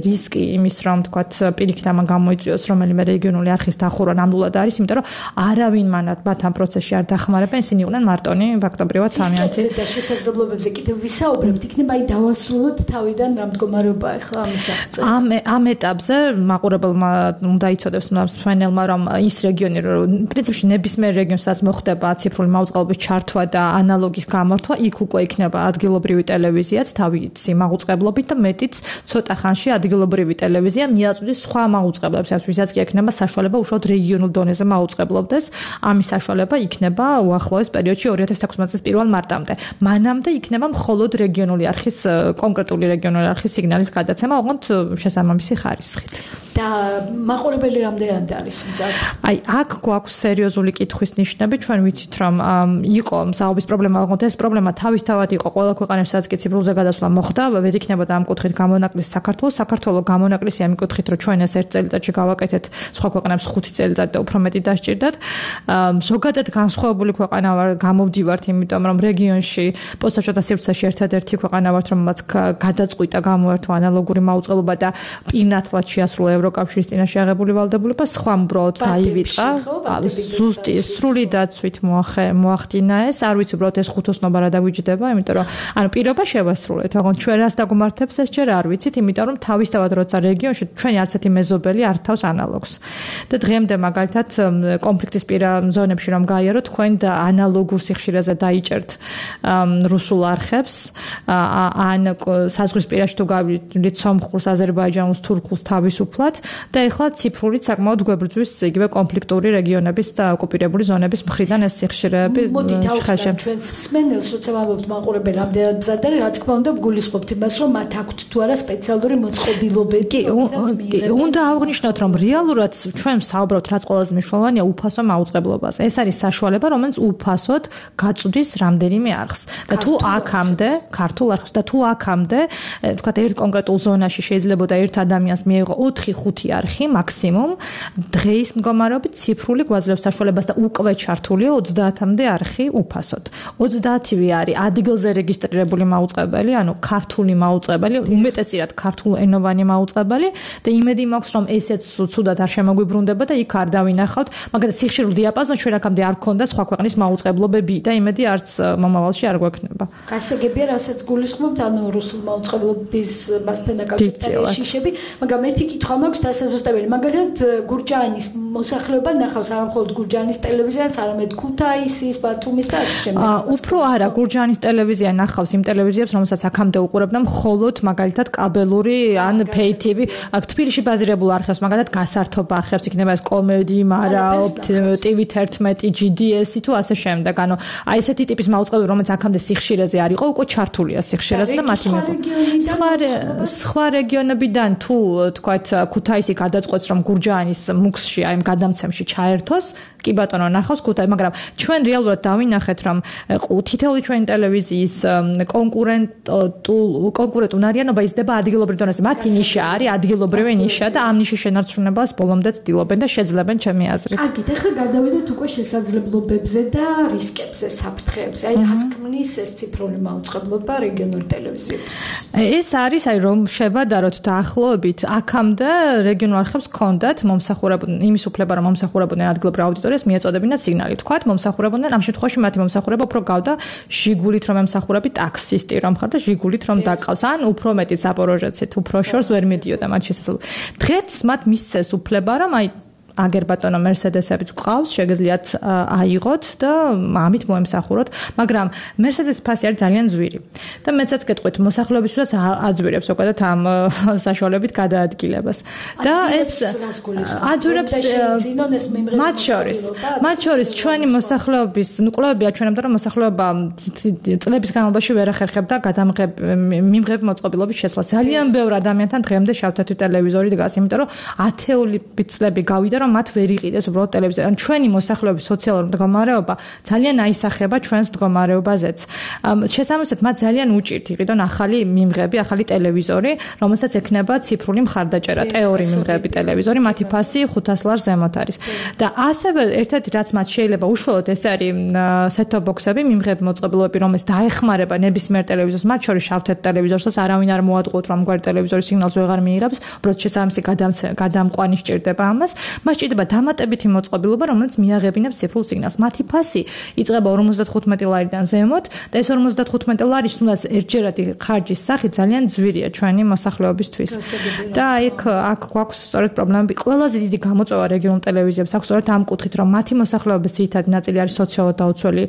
რისკი იმის, რომ თქვათ პირიქით ამან გამოიწვიოს რომელიმე რეგიონული არხის დახურვა ნამდვილად არის, იმიტომ რომ არავინ მანათ მათ ამ პროცესში არ დახმარებენ, ისინი იყვნენ მარტონი ფაქტობრივად სამიანთი. და შესაძლებლობებზე კიდევ ვისაუბრებთ, იქნება აი დავასრულოთ თავიდან რა მდგომარეობა ახლა ამის აღწერა. ამ ამ ეტაპზე მაყურებელმა უნდა იცოდოს მსმენელმა, რომ ის რეგიონი, რომ პრინციპში ნებისმიერ რეგიონსაც მოხდება ციფრული მაუწყებლობის ჩართვა და ანალოგის გამართვა, იქ უკვე იქნება ადგილობრივი ტელევიზიაც თავისი მაუწყებლობით და მეტიც ცოტა ხანში ადგილობრივი ტელევიზია მიაწვდის სხვა მაუწყებლებს, ვისაც კი ექნება საშუალება უშუალოდ რეგიონულ დონეზე მაუწყებლობდეს. ამის საშუალება იქნება უახლოეს პერიოდში ორი ათას თექვსმეტ წლის პირველ მარტამდე. მანამდე იქნება მხოლოდ რეგიონული არხის კონკრეტული რეგიონული არხის სიგნალის გადაცემა, ოღონდ შესაბამისი ხარისხით. და მაყურებელი რამდენად არის მზად? აი, აქ გვაქვს სერიოზული კითხვის ნიშნები, ჩვენ ვიცით, რომ იყო მსაუბრის პრობლემა, ოღონდ ეს პრობლემა თავისთავად იყო ყველა ქვეყანაში, სადაც კი ციფრულზე გადასვლა მოხდა, ვერ იქნებოდა ამ კუთხით გამონაკლისი საქართველოს. საქართველოს გამონაკლისი ამ კუთხით, რომ ჩვენ ეს ერთ წელიწადში გავაკეთეთ, სხვა ქვეყნებს ხუთი წელიწადი და უფრო მეტი დასჭირდათ. ზოგადად განსხვავებული ქვეყანა ვარ, გამოვდივართ, იმიტომ რომ რეგიონში პოსტსაჭოთა სივრცეში ერთადერთი ქვეყანა ვართ, რომელმაც გადაწყვიტა გამოერთვა ანალოგური მაუწყებლობა და პირნათლად შეასრულა ევროკავშირის წინაშე აღებული ვალდებულება, სხვა უბრალოდ დაივიწყა. ზუსტი სრული დაცვით მოახდინა ეს, არ ვიცი უბრალოდ ეს ხუთოსნობა რა დაგვიჯდება, იმიტომ რომ ანუ პირობა შევასრულეთ, ოღონდ ჩვენ რას დაგმართებს ეს ჯერ არ ვიცით, იმიტომ რომ თავისთავად როცა რეგიონში ჩვენი არც ერთი მეზობელი არ თავს ანალოგს. და დღემდე მაგალითად კონფლიქტის პირა ზონებში რომ გაიაროთ, თქვენ და ანალოგურ სიხშირეზე დაიჭერთ რუსულ არხებს, ან საზღვრისპირაში თუ გავიდით სომხურს, აზერბაიჯანულს, თურქულს თავისუფლად და ეხლა ციფრული საკმაოდ გვებრძვის იგივე კონფლიქტური რეგიონების და ოკუპირებული ზონების მხრიდან ეს სიხშირეები შეხაშა. ჩვენს მსმენელს როცა ვამბობთ მაყურებელი რამდენად მზად არის, რა თქმა უნდა ვგულისხმობთ იმას, რომ მათ აქვთ თუ არა სპეციალური მოწყობილობები. უნდა აღვნიშნოთ, რომ რეალურად ჩვენ საუბრობთ, რაც ყველაზე მნიშვნელოვანია, უფასო მაუწყებლობაზე. ეს არის საშუალება, რომელიც უფასოდ გაწვდის რამდენიმე არხს. და თუ აქამდე, ქართულ არხს და თუ აქამდე, თქვათ ერთ კონკრეტულ ზონაში შეიძლებოდა ერთ ადამიანს მიეღო ოთხი ხუთი არხი მაქსიმუმ, დღეის მდგომარეობით ციფრული გვაძლევს საშუალებას და უკვე ჩართულია ოცდაათამდე არხი უფასოდ. ოცდაათივე არის ადგილზე რეგისტრირებული მაუწყებელი, ანუ ქართული მაუწყებელი, უმეტესწილად ქართულენოვანი მაუწყებელი და იმედი მაქვს, რომ ესეც ცუდად არ შემოგვიბრუნდება და იქ არ დავინახავთ, მაგალითად სიხშირულ დიაპაზონში ჩვენ აქამდე არ გქონდა სხვა ქვეყნის მაუწყებლობები და იმედი არც მომავალში არ გვექნება. გასაგებია, რასაც გულისხმობთ, ანუ რუსულ მაუწყებლობის მასთან დაკავშირებული შიშები, მაგრამ ერთი კითხვა მაქვს დასაზუსტებელი. მაგალითად გურჯაანის მოსახლეობა ნახავს არა მხოლოდ გურჯაანის ტელევიზიას, არამედ ქუთაისის, ბათუმის და ასე შემდეგ. უფრო არა, გურჯაანის ტელევიზია ნახავს იმ ტელევიზიებს, რომელსაც აქამდე უყურებდა მხოლოდ მაგალითად კაბელური ან pay T V, აქ თბილისში ბაზირებულ არხებს, მაგალითად გასართობ არხებს, იქნება ეს კომედი, მარაო, T V თერთმეტი, G D S თუ ასე შემდეგ. ანუ აი ესეთი ტიპის მაუწყებლობა, რომელიც აქამდე სიხშირეზე არ იყო, უკვე ჩართულია სიხშირეზე და მათი სხვა სხვა რეგიონებიდან თუ თქვათ ქუთაისი გადაწყვეტს, რომ გურჯაანის მუქსში აი ამ გადამცემში ჩაერთოს, კი ბატონო ნახავს ქუთაისი, მაგრამ ჩვენ რეალურად დავინახეთ, რომ თითოეული ჩვენი ტელევიზიის კონკურენტულ კონკურენტ უნარიანობა იზრდება ადგილობრივ დონეზე. მათი ნიშა არის ადგილობრივი ნიშა და ამ ნიშის შენარჩუნებას ბოლომდე ცდილობენ და შეძლებენ ჩემი აზრით. კარგით, ახლა გადავიდეთ უკვე შესაძლებლობებზე და რისკებზე, საფრთხეებზე. აი რას ქმნის ეს ციფრული მაუწყებლობა რეგიონული ტელევიზიებისთვის? ეს არის აი რომ შევადაროთ დაახლოებით აქამდე რეგიონულ არხებს ჰქონდათ მომსახურებოდნენ იმის უფლება, რომ მომსახურებოდნენ ადგილობრივ აუდიტორიას მიეწოდებინათ სიგნალი. თქვათ მომსახურებოდნენ ამ შემთხვევაში მათი მომსახურება უფრო გავდა ჟიგულით რომ ემსახურები ტაქსისტი რომ ხარ და ჟიგულით რომ დაკავს, ან უფრო მეტი ზაპოროჟეცით, უფრო შორს ვერ მიდიოდა მათ შესაძლებლობა. დღეს მათ მისცეს უფლება, რომ აი აგერ ბატონო Mercedes-ებიც გვყავს, შეგიძლიათ აიღოთ და ამით მოემსახუროთ, მაგრამ Mercedes ფასი არის ძალიან ძვირი. და მეცაც გეტყვით, მოსახლეობისთვისაც აძვირებს უბრალოდ ამ საშუალებით გადაადგილებას. და ეს აძვირებს მათ შორის, მათ შორის ჩვენი მოსახლეობის, ნუ კვლევები აჩვენებდა, რომ მოსახლეობა წლების განმავლობაში ვერ ახერხებდა გადამღებ მიმღებ მოწყობილობის შესვლა. ძალიან ბევრ ადამიანთან დღემდე შავ-თეთრი ტელევიზორი დგას, იმიტომ რომ ათეული წლები გავიდა, რომ მათ ვერ იყიდეს უბრალოდ ტელევიზორი. ან ჩვენი მოსახლეობის სოციალური მდგომარეობა ძალიან აისახება ჩვენს მდგომარეობაზეც. შესაბამისად, მათ ძალიან უჭირთ იყიდონ ახალი მიმღები, ახალი ტელევიზორი, რომელსაც ექნება ციფრული მხარდაჭერა, ტეორი მიმღები ტელევიზორი, მათი ფასი ხუთას ლარს ზემოთ არის. და ასევე ერთ-ერთი რაც მათ შეიძლება უშუალოდ ეს არის set-top box-ები, მიმღები მოწყობილობები, რომელიც დაეხმარება ნებისმიერ ტელევიზორს, მათ შორის შავ-თეთრ ტელევიზორსაც არავინ არ მოატყუოთ, რომ ამგვარი ტელევიზორი სიგნალს ვეღარ მიიღებს, უბრალოდ შესაბამისი გადამყვანი სჭირდება ამას. მას სჭირდება დამატებითი მოწყობილობა, რომელიც მიაღებინებს ციფრულ სიგნალს. მათი ფასი იწყება ორმოცდათხუთმეტი ლარიდან ზემოთ და ეს ორმოცდათხუთმეტი ლარი თუნდაც ერთჯერადი ხარჯის სახით ძალიან ძვირია ჩვენი მოსახლეობისთვის. და იქ აქ გვაქვს სწორედ პრობლემები. ყველაზე დიდი გამოწვევა რეგიონულ ტელევიზიებს აქვს სწორედ ამ კუთხით, რომ მათი მოსახლეობის ძირითადი ნაწილი არის სოციალურად დაუცველი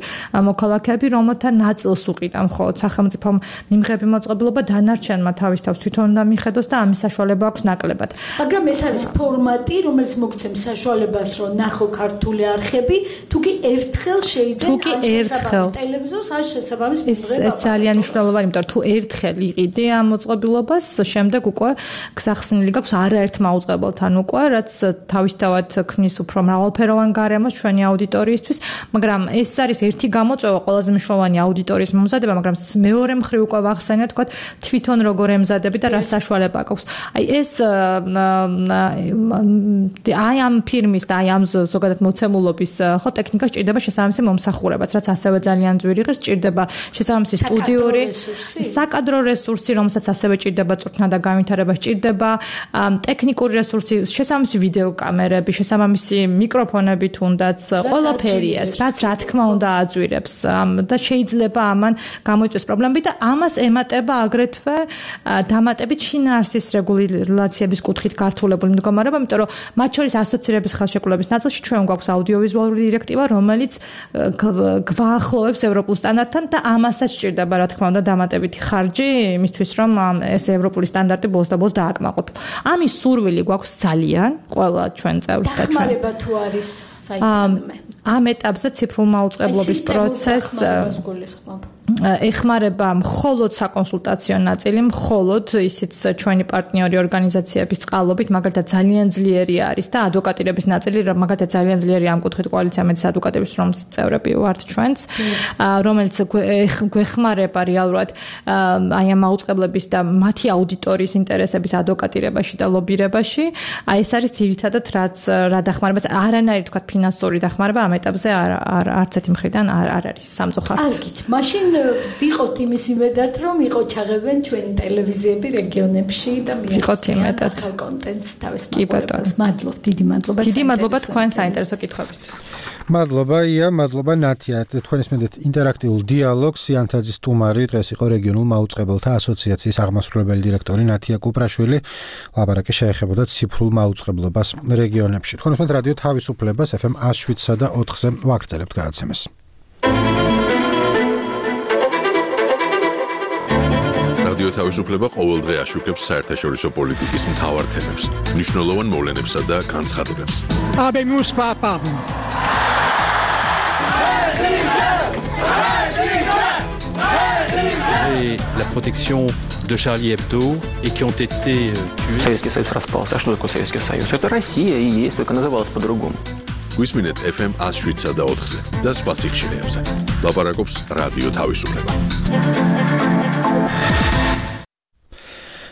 მოქალაქეები, რომელთა ნაწილს უყიდა მხოლოდ სახელმწიფო მიმღები მოწყობილობა, დანარჩენმა თავის თავს თვითონ უნდა მიხედოს და ამის საშუალება აქვს ნაკლებად. მაგრამ ეს არის ფორმატი, რომელიც მოგცემს საშუალებას, რომ ნახო ქართული არხები, თუ კი ერთხელ შეიძლება ერთხელ ტელევიზორს არ შესაბამის მიმღება. ეს ძალიან მნიშვნელოვანია, იმიტომ რომ თუ ერთხელ იყიდი ამ მოწყობილობას, შემდეგ უკვე გსახსნილი გაქვს არაერთ მაუწყებელთან უკვე, რაც თავისთავად ქმნის უფრო მრავალფეროვან გარემოს ჩვენი აუდიტორიისთვის, მაგრამ ეს არის ერთი გამოწვევა ყველაზე მნიშვნელოვანი აუდიტორიის მომზადება, მაგრამ მეორე მხრივ უკვე ვახსენეთ, თქვა თვითონ როგორ ემზადები და რა საშუალება გაქვს. აი ეს აი ამ ფირმის და აი ამ ზოგადად მოცემულობის ხო ტექნიკა სჭირდება შესაბამისი მომსახურებაც, რაც ასევე ძალიან ძვირი ღირს, სჭირდება შესაბამისი სტუდიური საკადრო რესურსი, რომელსაც ასევე სჭირდება წვრთნა და განვითარება, სჭირდება ტექნიკური რესურსი, შესაბამისი ვიდეო კამერები, შესაბამისი მიკროფონები თუნდაც, ყველაფერი ეს, რაც რა თქმა უნდა აძვირებს და შეიძლება ამან გამოიწვიოს პრობლემები და ამას ემატება აგრეთვე დამატებით შინაარსის რეგულაციების კუთხით გართულებული მდგომარეობა, იმიტომ რომ მათ შორის ასოცირების ხელშეკრულების ნაწილში ჩვენ გვაქვს აუდიოვიზუალური დირექტივა, რომელიც გვაახლოვებს ევროპულ სტანდარტთან და ამასაც სჭირდება რა თქმა უნდა დამატებითი ხარჯი იმისთვის, რომ ეს ევროპული სტანდარტი ბოლოს და ბოლოს დააკმაყოფილო. ამის სურვილი გვაქვს ძალიან ყველა ჩვენ წევრს და ჩვენ. დახმარება თუ არის საერთოდ ამ ეტაპზე ციფრულმა უწყებლობის პროცესს ეხმარება მხოლოდ საკონსულტაციო ნაწილი, მხოლოდ ისიც ჩვენი პარტნიორი ორგანიზაციების წყალობით, მაგალითად ძალიან ძლიერი არის და ადვოკატირების ნაწილი, მაგალითად ძალიან ძლიერი ამ კუთხით კოალიცია მედის ადვოკატების რომლის წევრები ვართ ჩვენც, რომელიც გვეხმარება რეალურად აი ამ აუწყებლების და მათი აუდიტორიის ინტერესების ადვოკატირებაში და ლობირებაში. აი ეს არის ძირითადად რაც რა დახმარებაც არანაირი თქვა ფინანსური დახმარება ამ ეტაპზე არ არც ერთი მხრიდან არ არის სამწუხაროდ. ალგით, მაშინ ვიყოთ იმის იმედად, რომ იყო ჩაღებენ ჩვენი ტელევიზიები რეგიონებში და მიიღებენ ახალ კონტენტს თავის მაყურებელს. მადლობ, დიდი მადლობა. დიდი მადლობა თქვენ საინტერესო კითხვებით. მადლობა ია, მადლობა ნათია. თქვენ ისმენთ ინტერაქტიულ დიალოგს. იანთაძის სტუმარი დღეს იყო რეგიონულ მაუწყებელთა ასოციაციის აღმასრულებელი დირექტორი ნათია კუპრაშვილი. ლაბარაკი შეეხებოდა ციფრულ მაუწყებლობას რეგიონებში. თქვენ ისმენთ რადიო თავისუფლებას ეფ ემ ას შვიდსა და ოთხზე ვაგრძელებთ გადაცემას. რადიო თავისუფლება ყოველდღე აშუქებს საერთაშორისო პოლიტიკის მთავარ თემებს, მნიშვნელოვან მოვლენებსა და განცხადებებს. Habemus papam. Et la protection de Charlie Hebdo et qui ont été tués. Советский Союз распался. А что такое Советский Союз? Это Россия и есть, только называлась по-другому. გვისმინეთ ეფ ემ ას შვიდსა და ოთხზე და სხვა სიხშირეებზე. ლაპარაკობს რადიო თავისუფლება.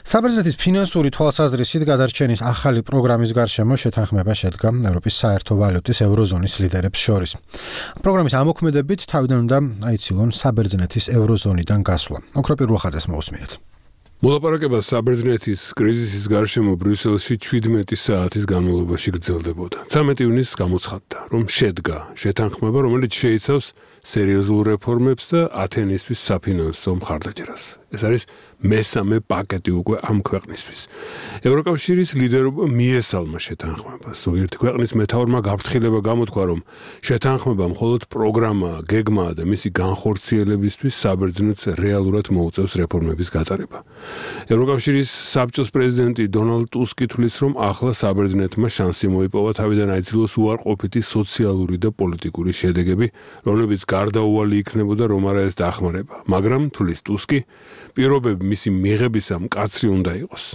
საბერძნეთის ფინანსური თვალსაზრისით გადარჩენის ახალი პროგრამის გარშემო შეთანხმება შედგა ევროპის საერთო ვალუტის ევროზონის ლიდერებს შორის. პროგრამის ამოქმედებით თავიდან უნდა აიცილონ საბერძნეთის ევროზონიდან გასვლა. ოქროპირ რუხაძეს მოусმინეთ. მოლაპარაკება საბერძნეთის კრიზისის გარშემო ბრიუსელში შვიდმეტი საათის განმავლობაში გრძელდებოდა. ცამეტი ივნისს გამოცხადდა, რომ შედგა შეთანხმება, რომელიც შეიცავს სერიოზულ რეფორმებს და ათენისთვის საფინანსო მხარდაჭერას. ეს არის მესამე პაკეტი უკვე ამ ქვეყნისთვის. ევროკავშირის ლიდერობა მიესალმა შეთანხმებას. ზოგიერთი ქვეყნის მეთაურმა გაფრთხილება გამოთქვა, რომ შეთანხმება მხოლოდ პროგრამაა, გეგმაა და მისი განხორციელებისთვის საბერძნეთს რეალურად მოუწევს რეფორმების გატარება. ევროკავშირის საბჭოს პრეზიდენტი დონალდ ტუსკი თვლის, რომ ახლა საბერძნეთმა შანსი მოიპოვა თავიდან აიძულოს უარყოფითი სოციალური და პოლიტიკური შედეგები, რომლებიც გარდაუვალი იქნებოდა რომ არა ეს დახმარება. მაგრამ თვლის ტუსკი, პირობები მისი მიღებისა მკაცრი უნდა იყოს.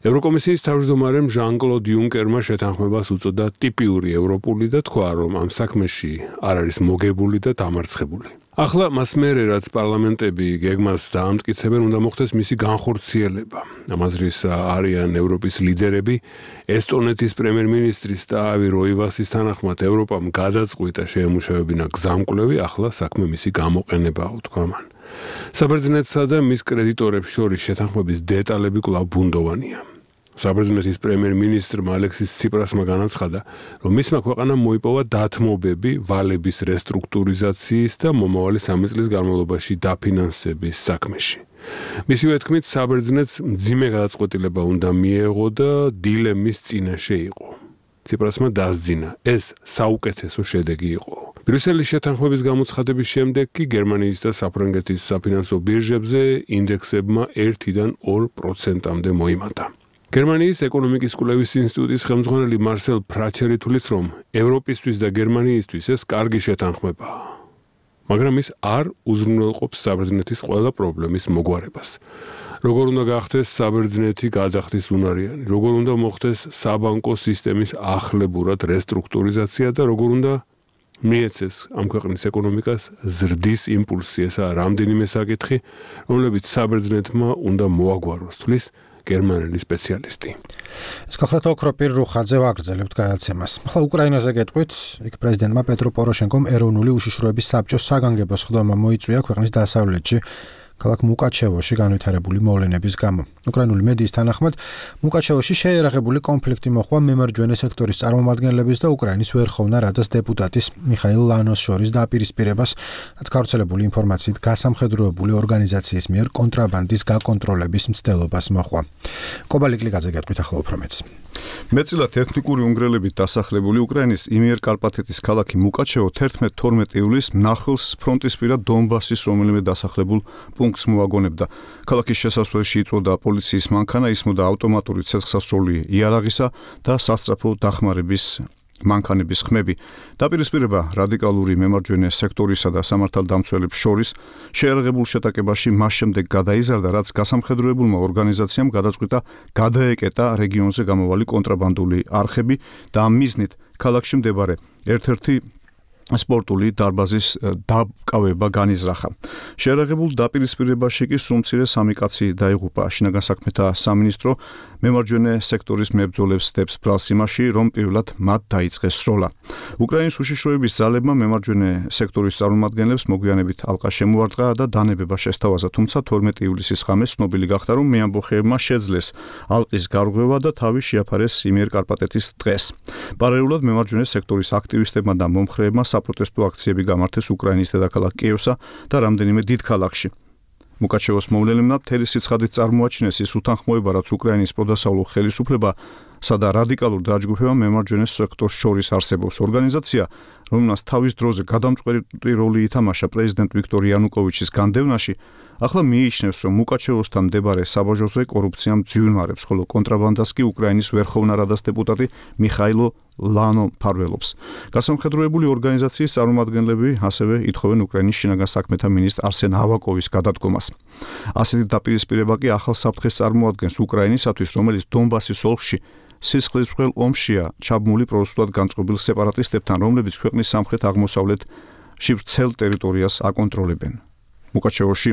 ევროკომისიის თავმჯდომარემ ჟან-კლოდ იუნკერმა შეთანხმებას უწოდა ტიპიური ევროპული და თქვა, რომ ამ საქმეში არ არის მოგებული და დამარცხებული. ახლა მას მერე, რაც პარლამენტები გეგმას დაამტკიცებენ, უნდა მოხდეს მისი განხორციელება. ამ აზრის არიან ევროპის ლიდერები, ესტონეთის პრემიერ-მინისტრის ტაავი როივასის თანახმად ევროპამ გადაწყვიტა შეემუშავებინა გზამკვლევი, ახლა საქმე მისი გამოყენებაა, თქვა მან. საბერძნეთსა და მის კრედიტორებს შორის შეთანხმების დეტალები კვლავ ბუნდოვანია. საბერძნეთის პრემიერ-მინისტრმა ალექსის ციპრასმა განაცხადა, რომ მისმა ქვეყანამ მოიპოვა დათმობები ვალების რესტრუქტურიზაციის და მომავალი სამი წლის განმავლობაში დაფინანსების საქმეში. მისივე თქმით, საბერძნეთს მძიმე გადაწყვეტილება უნდა მიეღო და დილემის წინაშე იყო. ციპრასმა დასძინა, ეს საუკეთესო შედეგი იყო. ბრიუსელის შეთანხმების გამოცხადების შემდეგ კი გერმანიის და საფრანგეთის საფინანსო ბირჟებზე ინდექსებმა ერთიდან ორ პროცენტამდე მოიმატა. გერმანიის ეკონომიკის კვლევის ინსტიტუტის ხელმძღვანელი მარსელ ფრაჩერი თვლის, რომ ევროპისთვის და გერმანიისთვის ეს კარგი შეთანხმებაა. მაგრამ ის არ უზრუნველყოფს საბერძნეთის ყველა პრობლემის მოგვარებას. როგორ უნდა გახდეს საბერძნეთი გადახდის უნარიანი, როგორ უნდა მოხდეს საბანკო სისტემის ახლებურად რესტრუქტურიზაცია და როგორ უნდა მიეცეს ამ ქვეყნის ეკონომიკას ზრდის იმპულსი. ესაა რამდენიმე საკითხი, რომლებიც საბერძნეთმა უნდა მოაგვაროს, თვლის გერმანელი სპეციალისტი. ეს გახლავთ ოქროპირ რუხაძე ვაგრძელებთ გადაცემას. ახლა უკრაინაზე გეტყვით, იქ პრეზიდენტმა პეტრო პოროშენკომ ეროვნული უშიშროების საბჭოს საგანგებო სხდომა მოიწვია ქვეყნის დასავლეთში, ქალაქ მუკაჩევოში განვითარებული მოვლენების გამო. უკრაინული მედიის თანახმად, მუკაჩევოში შეერაღებული კონფლიქტი მოხდა მემარჯვენე სექტორის წარმომადგენლების და უკრაინის ვერხოვნა რადას დეპუტატის მიხაილ ლანოს შორის დაპირისპირებას, რაც გავრცელებული ინფორმაციით გასამხედროებული ორგანიზაციის მიერ კონტრაბანდის გაკონტროლების მცდელობას მოხდა. კობალიკლიძე გეტყვით ახლა უფრო მეც. მეტწილად ეთნიკური უნგრელებით დასახლებული უკრაინის იმიერკარპათეთის ქალაქი მუკაჩევო თერთმეტ თორმეტ ივლისს მნახველს ფრონტისპირა დონბასის რომელიმე დასახლებულ პუნქტს მოაგონებდა. ქალაქის შესასვლელში იწვოდა პოლიციის მანქანა, ისმოდა ავტომატური ცეცხლსასროლი იარაღისა და სასწრაფო დახმარების მანქანების ხმები. დაპირისპირება რადიკალური მემარჯვენე სექტორისა და სამართალდამცველებს შორის შეერაღებულ შეტაკებაში მას შემდეგ გადაიზარდა, რაც გასამხედროებულმა ორგანიზაციამ გადაწყვიტა გადაეკეტა რეგიონზე გამოვალი კონტრაბანდული არხები და ამ მიზნით ქალაქში მდებარე ერთ-ერთი სპორტული დარბაზის დაკავება განიზრახა. შეერაღებულ დაპირისპირებაში კი სულ მცირე სამი კაცი დაიღუპა. შინაგან საქმეთა სამინისტრო მემარჯვენე სექტორის მებრძოლებს დებს ბრალს იმაში, რომ პირველად მათ დაიწყეს სროლა. უკრაინის უშიშროების ძალებმა მემარჯვენე სექტორის წარმომადგენლებს მოგვიანებით ალყა შემოარტყა და დანებება შესთავაზა, თუმცა თორმეტ ივლისის ღამეს ცნობილი გახდა, რომ მეამბოხეებმა შეძლეს ალყის გარღვევა და თავი შეაფარეს იმიერკარპატეთის დღეს. პარალელურად მემარჯვენე სექტორის აქტივისტებმა და მომხრეებმა საპროტესტო აქციები გამართეს უკრაინის დედაქალაქ კიევსა და რამდენიმე დიდ ქალაქში. მუკაჩევოს მოვლენებმა მთელი სიცხადით წარმოაჩინეს ის უთანხმოება, რაც უკრაინის პროდასავლურ ხელისუფლებასა და რადიკალურ დაჯგუფებამ მემარჯვენე სექტორს შორის არსებობს. ორგანიზაცია, რომელმაც თავის დროზე გადამწყვეტი როლი ითამაშა პრეზიდენტ ვიქტორ იანუკოვიჩის განდევნაში, ახლა მიიჩნევს, რომ მუკაჩევოსთან მდებარე საბაჟოზე კორუფციამ ძვირმარებს, ხოლო კონტრაბანდას კი უკრაინის ვერხოვნა რადას დეპუტატი მიხაილო ლანო მფარველობს. გასამხედროებული ორგანიზაციის წარმომადგენლები ასევე ითხოვენ უკრაინის შინაგან საქმეთა მინისტრ არსენ ავაკოვის გადადგომას. ასეთი დაპირისპირება კი ახალ საფრთხეს წარმოადგენს უკრაინისათვის, რომელიც დონბასის ოლქში სისხლისმღვრელ ომშია ჩაბმული პრორუსულად განწყობილ სეპარატისტებთან, რომლებიც ქვეყნის სამხრეთ-აღმოსავლეთში ვრცელ ტერიტორიას აკონტროლებენ. მუკაჩევოში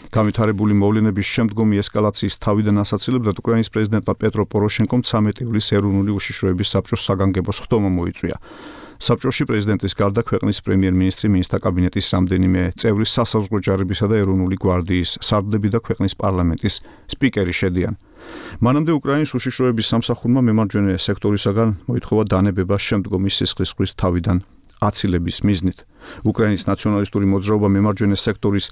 განვითარებული მოვლენების შემდგომი ესკალაციის თავიდან ასაცილებლად უკრაინის პრეზიდენტმა პეტრო პოროშენკომ ცამეტ ივლისს ეროვნული უშიშროების საბჭოს საგანგებო სხდომა მოიწვია. საბჭოში პრეზიდენტის გარდა ქვეყნის პრემიერ-მინისტრი, მინისტრთა კაბინეტის რამდენიმე წევრი, სასაზღვრო ჯარებისა და ეროვნული გვარდიის სარდლები და ქვეყნის პარლამენტის სპიკერი შედიან. მანამდე უკრაინის უშიშროების სამსახურმა მემარჯვენე სექტორისაგან მოითხოვა დანებება შემდგომი სისხლისღვრვის თავიდან აცილების მიზნით. უკრაინის ნაციონალისტური მოძრაობა მემარჯვენე სექტორის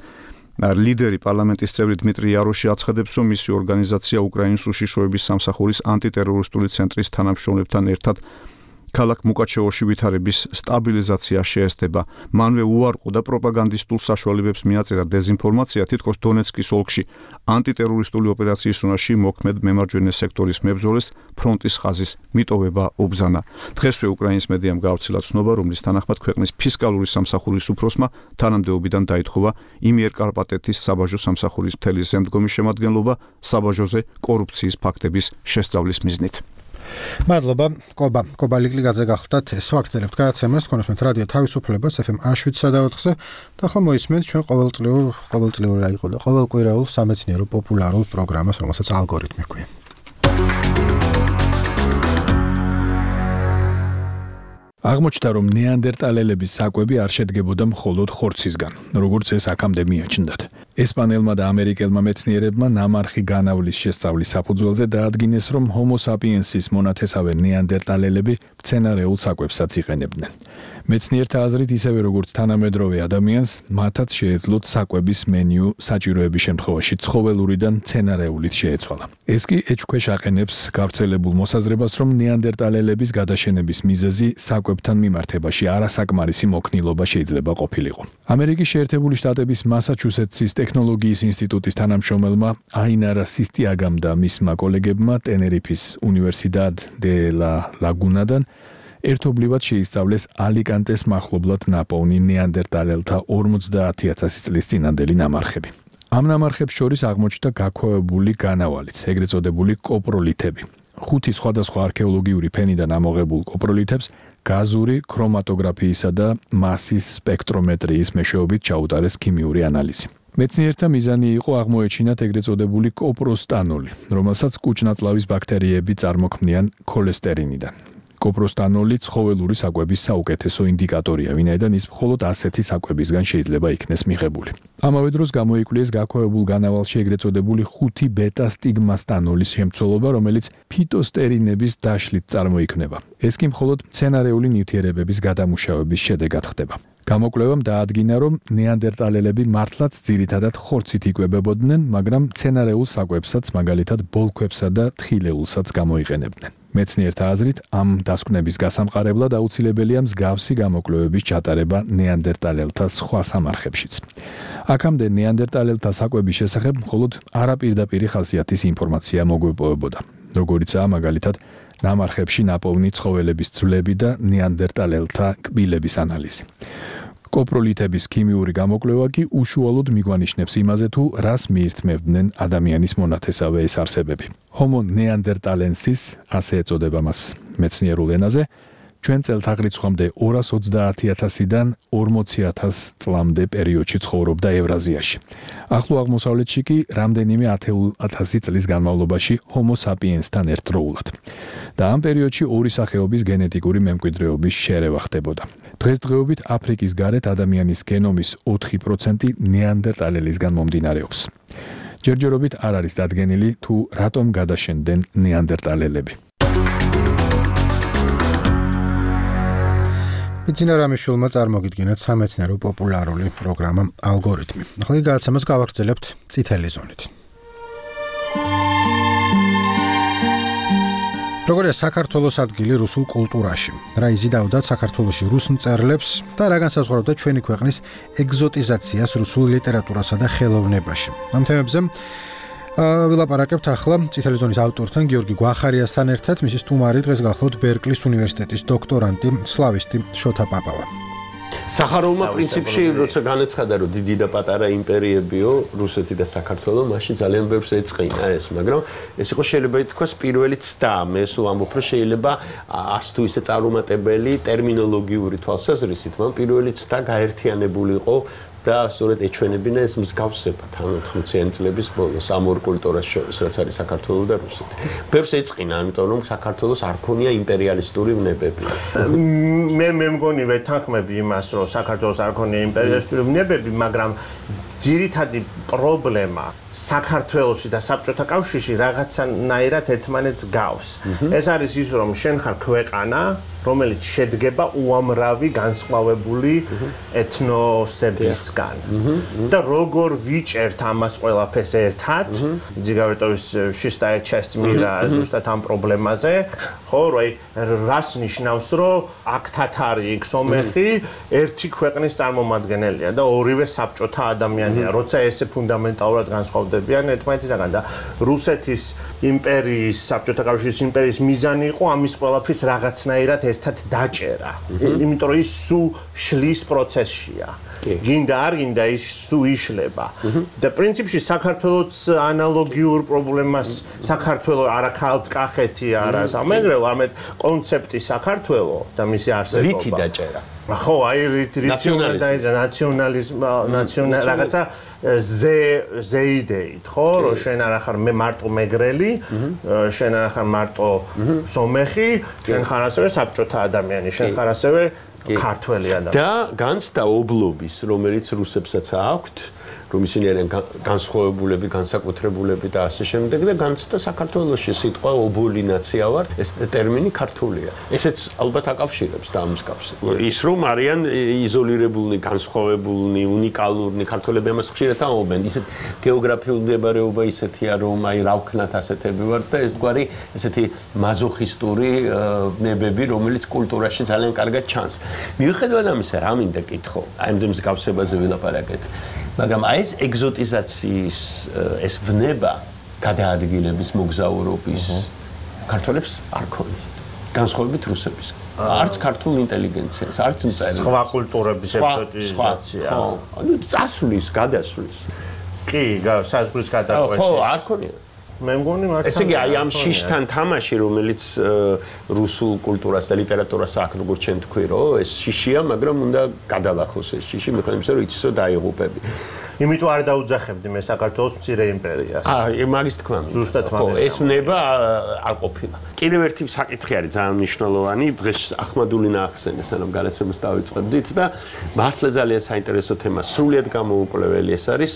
ლიდერი პარლამენტის წევრი დმიტრი იაროში აცხადებს, რომ მისი ორგანიზაცია უკრაინის უშიშროების სამსახურის ანტიტერორისტული ცენტრის თანამშრომლებთან ერთად ქალაქ მუკაჩევოში ვითარების სტაბილიზაცია შეესწება. მანვე უარყო და პროპაგანდისტულ საშუალებებს მიაწერა დეზინფორმაცია, თითქოს დონეცკის ოლქში ანტიტერორისტული ოპერაციის უნარში მოქმედ მემარჯვენე სექტორის მებრძოლეს ფრონტის ხაზის მიტოვება უბრძანა. დღესვე უკრაინის მედიამ გავრცელა ცნობა, რომლის თანახმად ქვეყნის ფისკალური სამსახურის უფროსმა თანამდებობიდან დაითხოვა იმიერკარპატეთის საბაჟო სამსახურის მთელი შემდგომი შემადგენლობა საბაჟოზე კორუფციის ფაქტების შესწავლის მიზნით. მადლობა, კობა, კობა ლიკლიგაძე გახლდათ ეს ვაგრძელებთ გადაცემას, თქვენს რადიო თავისუფლებას ეფ ემ შვიდ და ოთხზე და ახლა მოისმენთ ჩვენ ყოველწლიურ ყოველწლიური რა იყო და ყოველკვირეულ სამეცნიერო პოპულარულ პროგრამას, რომელსაც ალგორითმი ჰქვია. აღმოჩნდა, რომ ნეანდერტალელების საკვები არ შედგებოდა მხოლოდ ხორცისგან, როგორც ეს აქამდე მიაჩნდათ. ესპანელმა და ამერიკელმა მეცნიერებმა ნამარხი განავლის შესწავლის საფუძველზე დაადგინეს, რომ ჰომო საპიენსის მონათესავე ნეანდერტალელები მცენარეულ საკვებსაც იყენებდნენ. მეცნიერთა აზრით, ისევე როგორც თანამედროვე ადამიანს, მათაც შეეძლოთ საკვების მენიუ საჭიროების შემთხვევაში ცხოველურიდან მცენარეულით შეეცვალა. ეს კი ეჭვქვეშ აყენებს გავრცელებულ მოსაზრებას, რომ ნეანდერტალელების გადაშენების მიზეზი საკვებთან მიმართებაში არასაკმარისი მოქნილობა შეიძლება ყოფილიყო. ამერიკის შეერთებული შტატების მასაჩუსეტსის ტექნოლოგიის ინსტიტუტის თანამშრომელმა აინარა სისტიაგამ და მისმა კოლეგებმა ტენერიფის უნივერსიდად დე ლა ლაგუნადან ერთობლივად შეისწავლეს ალიკანტეს მახლობლად ნაპოვნი ნეანდერტალელთა ორმოცდაათი ათასი წლის წინანდელი ნამარხები. ამ ნამარხებს შორის აღმოჩნდა გაქვავებული განავალიც, ეგრეთ წოდებული კოპროლითები. ხუთი სხვადასხვა არქეოლოგიური ფენიდან ამოღებულ კოპროლითებს გაზური ქრომატოგრაფიისა და მასის სპექტრომეტრიის მეშვეობით ჩაუტარეს ქიმიური ანალიზი. მეცნიერთა მიზანი იყო აღმოეჩინათ ეგრეთ წოდებული კოპროსტანოლი, რომელსაც კუჭნაწლავის ბაქტერიები წარმოქმნიან ქოლესტერინიდან. კოპროსტანოლი ცხოველური საკვების საუკეთესო ინდიკატორია, ვინაიდან ის მხოლოდ ასეთი საკვებისგან შეიძლება იქნეს მიღებული. ამავე დროს გამოიკვლიეს გაქვავებულ განავალში ეგრეთ წოდებული ხუთი ბეტა სტიგმასტანოლის შემცველობა, რომელიც ფიტოსტერინების დაშლით წარმოიქმნება. ეს კი მხოლოდ მცენარეული ნივთიერებების გადამუშავების შედეგად ხდება. გამოკვლევამ დაადგინა, რომ ნეანდერტალელები მართლაც ძირითადად ხორცით იკვებებოდნენ, მაგრამ მცენარეულ საკვებსაც, მაგალითად ბოლქვებსა და თხილეულსაც გამოიყენებდნენ. მეცნიერთა აზრით, ამ დასკვნების გასამყარებლად აუცილებელია მსგავსი გამოკვლევების ჩატარება ნეანდერტალელთა სხვა სამარხებშიც. აქამდე ნეანდერტალელთა საკვების შესახებ მხოლოდ არაპირდაპირი ხასიათის ინფორმაცია მოგვეპოვებოდა, როგორიცაა მაგალითად ნამარხებში ნაპოვნი ცხოველების ძვლები და ნეანდერტალელთა კბილების ანალიზი. კოპროლითების ქიმიური გამოკვლევა კი უშუალოდ მიგვანიშნებს იმაზე, თუ რას მიირთმევდნენ ადამიანის მონათესავე ეს არსებები. ჰომო ნეანდერტალენსის, ასე ეწოდება მას მეცნიერულ ენაზე, ჩვენ წელთაღრიცხვამდე ორას ოცდაათი ათასიდან ორმოცი ათას წლამდე პერიოდში ცხოვრობდა ევრაზიაში. ახლო აღმოსავლეთში კი რამდენიმე ათასი წლის განმავლობაში ჰომო საპიენსთან ერთდროულად. და ამ პერიოდში ორი სახეობის გენეტიკური მემკვიდრეობის შერევა ხდებოდა. დღესდღეობით აფრიკის გარეთ ადამიანის გენომის ოთხი პროცენტი ნეანდერტალელისგან მომდინარეობს. ჯერჯერობით არ არის დადგენილი, თუ რატომ გადაშენდნენ ნეანდერტალელები. ბიძინა რამიშვილმა წარმოგიდგენათ სამეცნიერო პოპულარული პროგრამა ალგორითმი. ახლა გადაცემას გავაგრძელებთ წითელი ზონით. როგორია საქართველოს ადგილი რუსულ კულტურაში? რა იზიდავდათ საქართველოში რუს მწერლებს და რა განსაზღვრავდა ჩვენი ქვეყნის ეგზოტიზაციას რუსულ ლიტერატურასა და ხელოვნებაში? ამ თემებზე ვილაპარაკებთ ახლა წითელი ზონის ავტორთან გიორგი გვახარიასთან ერთად, მისი სტუმარი დღეს გახლავთ ბერკლის უნივერსიტეტის დოქტორანტი სლავისტი შოთა პაპავა. სახაროვმა პრინციპში როცა განაცხადა, რომ დიდი და პატარა იმპერიებიო, რუსეთი და საქართველო, მაშინ ძალიან ბევრს ეწყინა ეს, მაგრამ ეს იყო შეიძლება ითქვას პირველი ცდა. მე სულ ამბობ, რომ შეიძლება არც თუ ისე წარუმატებელი ტერმინოლოგიური თვალსაზრისით, მაგრამ პირველი ცდა გაერთიანებული იყო და სწორედ ეჩვენებინა ეს მსგავსება თან ოთხმოციანი წლების ბოლოს ამ ორ კულტურას შორის, რაც არის საქართველო და რუსეთი. ბევრს ეწყინა, ამიტომ რომ საქართველოს არ ქონია იმპერიალისტური ვნებები. მე მე მგონი ვეთანხმები იმას, რომ საქართველოს არ ქონია იმპერიალისტური ვნებები, მაგრამ ძირითადი პრობლემა საქართველოსი და საბჭოთა კავშირში რაღაცნაირად ერთმანეთს გავს. ეს არის ის, რომ შენ ხარ ქვეყანა, რომელიც შედგება უამრავი განსხვავებული ეთნოსებისგან. და როგორ ვიჭერთ ამას ყველაფერს ერთად, ძიგავეტოვის შისტაე часть мира ზუსტად ამ პრობლემაზე, ხო, რომ რას ნიშნავს, რომ აქ თათარი, იქ სომეხი ერთი ქვეყნის წარმომადგენელია და ორივე საბჭოთა ადამიანია, როცა ესე ფუნდამენტალურად განსხვავდებიან ერთმანეთისგან და რუსეთის იმპერიის, საბჭოთა კავშირის იმპერიის მიზანი იყო ამის ყველაფრის რაღაცნაირად ერთად დაჭერა. იმიტომ რომ ის სულ შლის პროცესშია. გინდა არ გინდა ის სულ იშლება. და პრინციპში საქართველოს ანალოგიურ პრობლემას საქართველოს არაქალთ კახეთი არა სამეგრელო, არამედ კონცეფტი საქართველოს და მისი არსებობა. რითი დაჭერა? ხო, აი რითი ნაციონალიზმი, ნაციონალ რაღაცა ზე ზეიდეით, ხო, რომ შენ არ ახარ მე მარტო მეგრელი, შენ არ ახარ მარტო სომეხი, შენ ხარ ასევე საბჭოთა ადამიანი, შენ ხარ ასევე ქართველი ადამიანი. და განცდა ობლობის, რომელიც რუსებსაც აქვთ, რომ ისინი არიან განსხვავებულები, განსაკუთრებულები და ასე შემდეგ და განცდა საქართველოში სიტყვა ობოლი ნაცია ვარ, ეს ტერმინი ქართულია. ესეც ალბათ აკავშირებს და ამსგავს. ის რომ არიან იზოლირებულნი, განსხვავებულნი, უნიკალურნი, ქართველები ამას ხშირად ამბობენ. ისეთ გეოგრაფიული მდებარეობა ისეთია, რომ აი რა ვქნათ ასეთები ვარ და ეს გვარი ესეთი მაზოხისტური ნებები, რომელიც კულტურაში ძალიან კარგად ჩანს. მიუხედავად ამისა, რა მინდა კითხო, აი ამ მსგავსებაზე ვილაპარაკეთ. მაგრამ აი ეს ეგზოტიზაციის ეს ვნება გადაადგილების მოგზაურობის ქართველებს არ ქონიათ. განსხვავებით რუსებისგან. არც ქართულ ინტელიგენციას, არც მწერლებს. სხვა კულტურების ეგზოტიზაცია. ხო, ანუ წასვლის, გადასვლის. კი, საზღვრის გადაკვეთის. ხო, არ ქონიათ. მე მგონი მართლა. ესე იგი, აი ამ შიშთან თამაში, რომელიც რუსულ კულტურას და ლიტერატურას აქვს, როგორც ჩვენ თქვი, რომ ეს შიშია, მაგრამ უნდა გადალახოს ეს შიში, მithon იმისა, რომ იცისო დაიღუპები. იმიტომ არ დაუძახებდი მე საქართველოს მცირე იმპერიას. აა, მაგის თქვა. ზუსტად მაგის. ეს ნება არ ყოფილა. კიდევ ერთი საკითხი არის ძალიან მნიშვნელოვანი. დღეს ახმადულინა ახსენეს, ანუ გადაცემას დავიწყებდით და მართლა ძალიან საინტერესო თემა, სრულიად გამოუკვლეველი ეს არის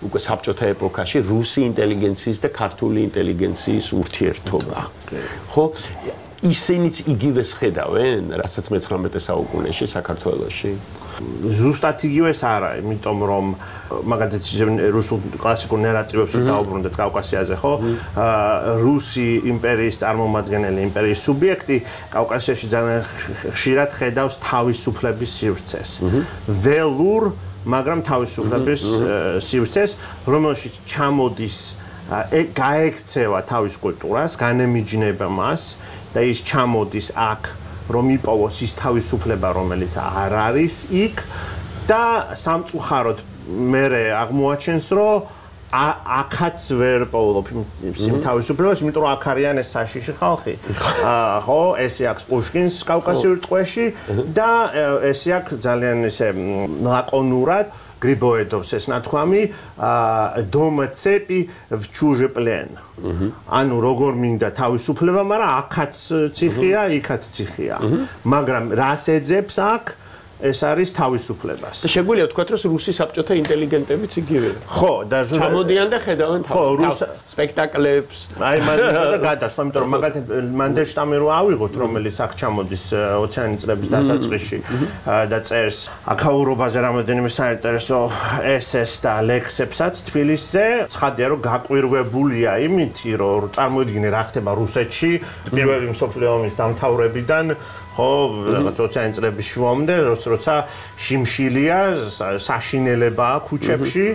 უკვე საბჭოთა ეპოქაში რუსი ინტელიგენციის და ქართული ინტელიგენციის ურთიერთობა. ხო? ისინიც იგივეს ხედავენ, რასაც მეცხრამეტე საუკუნეში საქართველოში. ზუსტად იგივეს არა, იმიტომ რომ მაგალითად რუსულ კლასიკურ ნარატივებს დაუბრუნდეთ კავკასიაზე, ხო? რუსი იმპერიის წარმომადგენელი, იმპერიის სუბიექტი კავკასიაში ძალიან ხშირად ხედავს თავისუფლების სივრცეს. ველურ, მაგრამ თავისუფლების სივრცეს, რომელშიც ჩამოდის გაექცევა თავის კულტურას, განემიჯნება მას და ის ჩამოდის აქ, რომ იპოვოს ის თავისუფლება, რომელიც არ არის იქ და სამწუხაროდ მერე აღმოაჩენს, რომ აქაც ვერ პოულობ იმ თავისუფლებას, იმიტომ რომ აქ არიან ეს საშიში ხალხი. ხო, ესე აქვს პუშკინს კავკასიურ ტყვეში და ესე აქვს ძალიან ესე ლაკონურად გრიბოედოვს ეს ნათქვამი დომა ცეპი в чуже плен. ანუ როგორ მინდა თავისუფლება, მაგრამ აქაც ციხია, იქაც ციხია. მაგრამ რას ეძებს აქ? ეს არის თავისუფლებას. და შეგვიძლია ვთქვათ, რომ რუსი საბჭოთა ინტელიგენტებიც იგივეა. ხო, და ჩამოდიან და ხედავენ თავის სპექტაკლებს. აი მაგალითად გადასვლა, იმიტომ რომ მაგალითად მანდელშტამი რო ავიღოთ, რომელიც აქ ჩამოდის ოციანი წლების დასაწყისში და წერს აქაურობაზე რამოდენიმე საინტერესო ესეს და ლექსებსაც თბილისზე, ცხადია რომ გაკვირვებულია იმითი, რომ წარმოიდგინე რა ხდება რუსეთში პირველი მსოფლიო ომის დამთავრებიდან, ხო, რაღაც ოციანი წლების შუამდე, როცა შიმშილია, საშინელებაა ქუჩებში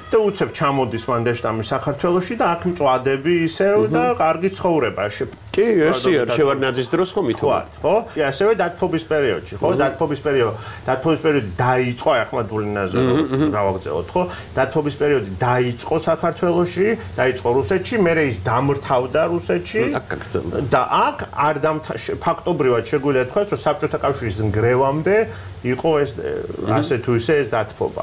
და უცებ ჩამოდის მანდელშტამი საქართველოში და აქ მწვადები ისევ და კარგი ცხოვრება. კი, ესეა, შევარდნაძის დროს ხომ ითქვა, ხო? კი, ასევე დათფობის პერიოდში, ხო? დათფობის პერიოდი, დათფობის პერიოდი დაიწყო ახმადულინაზე, გავაგზავნოთ, ხო? დათფობის პერიოდი დაიწყო საქართველოში, დაიწყო რუსეთში, მერე ის დამრთავდა რუსეთში და აქ არ ფაქტობრივად შეგვიძლია თქვათ, რომ საბჭოთა კავშირის ნგრევამდე იყო ეს ასე თუ ისე ეს დათფობა.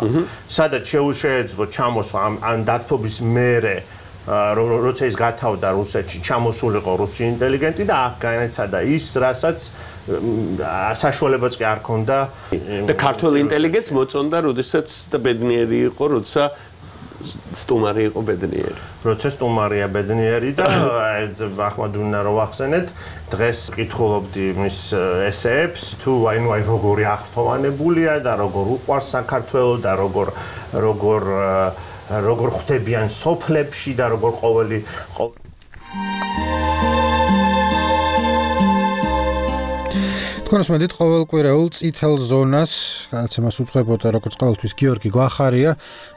სადაც შეეძლო ჩამოსვლა ამ დათფობის მერე როცა ის გათავდა რუსეთში, ჩამოსულიყო რუსი ინტელიგენტი და აქ განეცადა ის, რასაც საშუალებაც კი არ ქონდა და ქართული ინტელიგენტს მოწონდა, როდესაც და ბედნიერი იყო, როცა სტუმარი იყო ბედნიერი. როცა სტუმარია ბედნიერი და ახლა უნდა რომ ვახსენეთ, დღეს კითხულობდი მის ესეებს, თუ აინუ აი როგორი აღფრთოვანებულია და როგორ უყვარს საქართველო და როგორ როგორ როგორ ხვდებიან სოფლებში და როგორ ყოველი თქვენს მოდით ყოველკვირეულ წითელ ზონას გადაცემას უძღვებოდა როგორც ყოველთვის გიორგი გვახარია,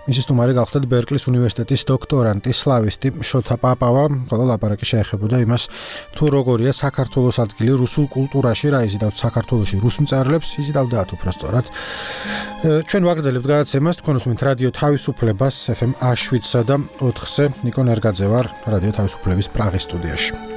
მისი სტუმარი გახლდათ ბერკლის უნივერსიტეტის დოქტორანტი სლავისტი შოთა პაპავა, ხოლო ლაპარაკი შეეხებოდა იმას, თუ როგორია საქართველოს ადგილი რუსულ კულტურაში, რა იზიდავთ საქართველოში რუს მწერლებს, იზიდავდათ უფრო სწორად. ჩვენ ვაგრძელებთ გადაცემას, თქვენ უსმენთ რადიო თავისუფლებას ეფ ემ შვიდსა და ოთხზე, ნიკო ნერგაძე ვარ, რადიო თავისუფლების პრაღის სტუდიაში.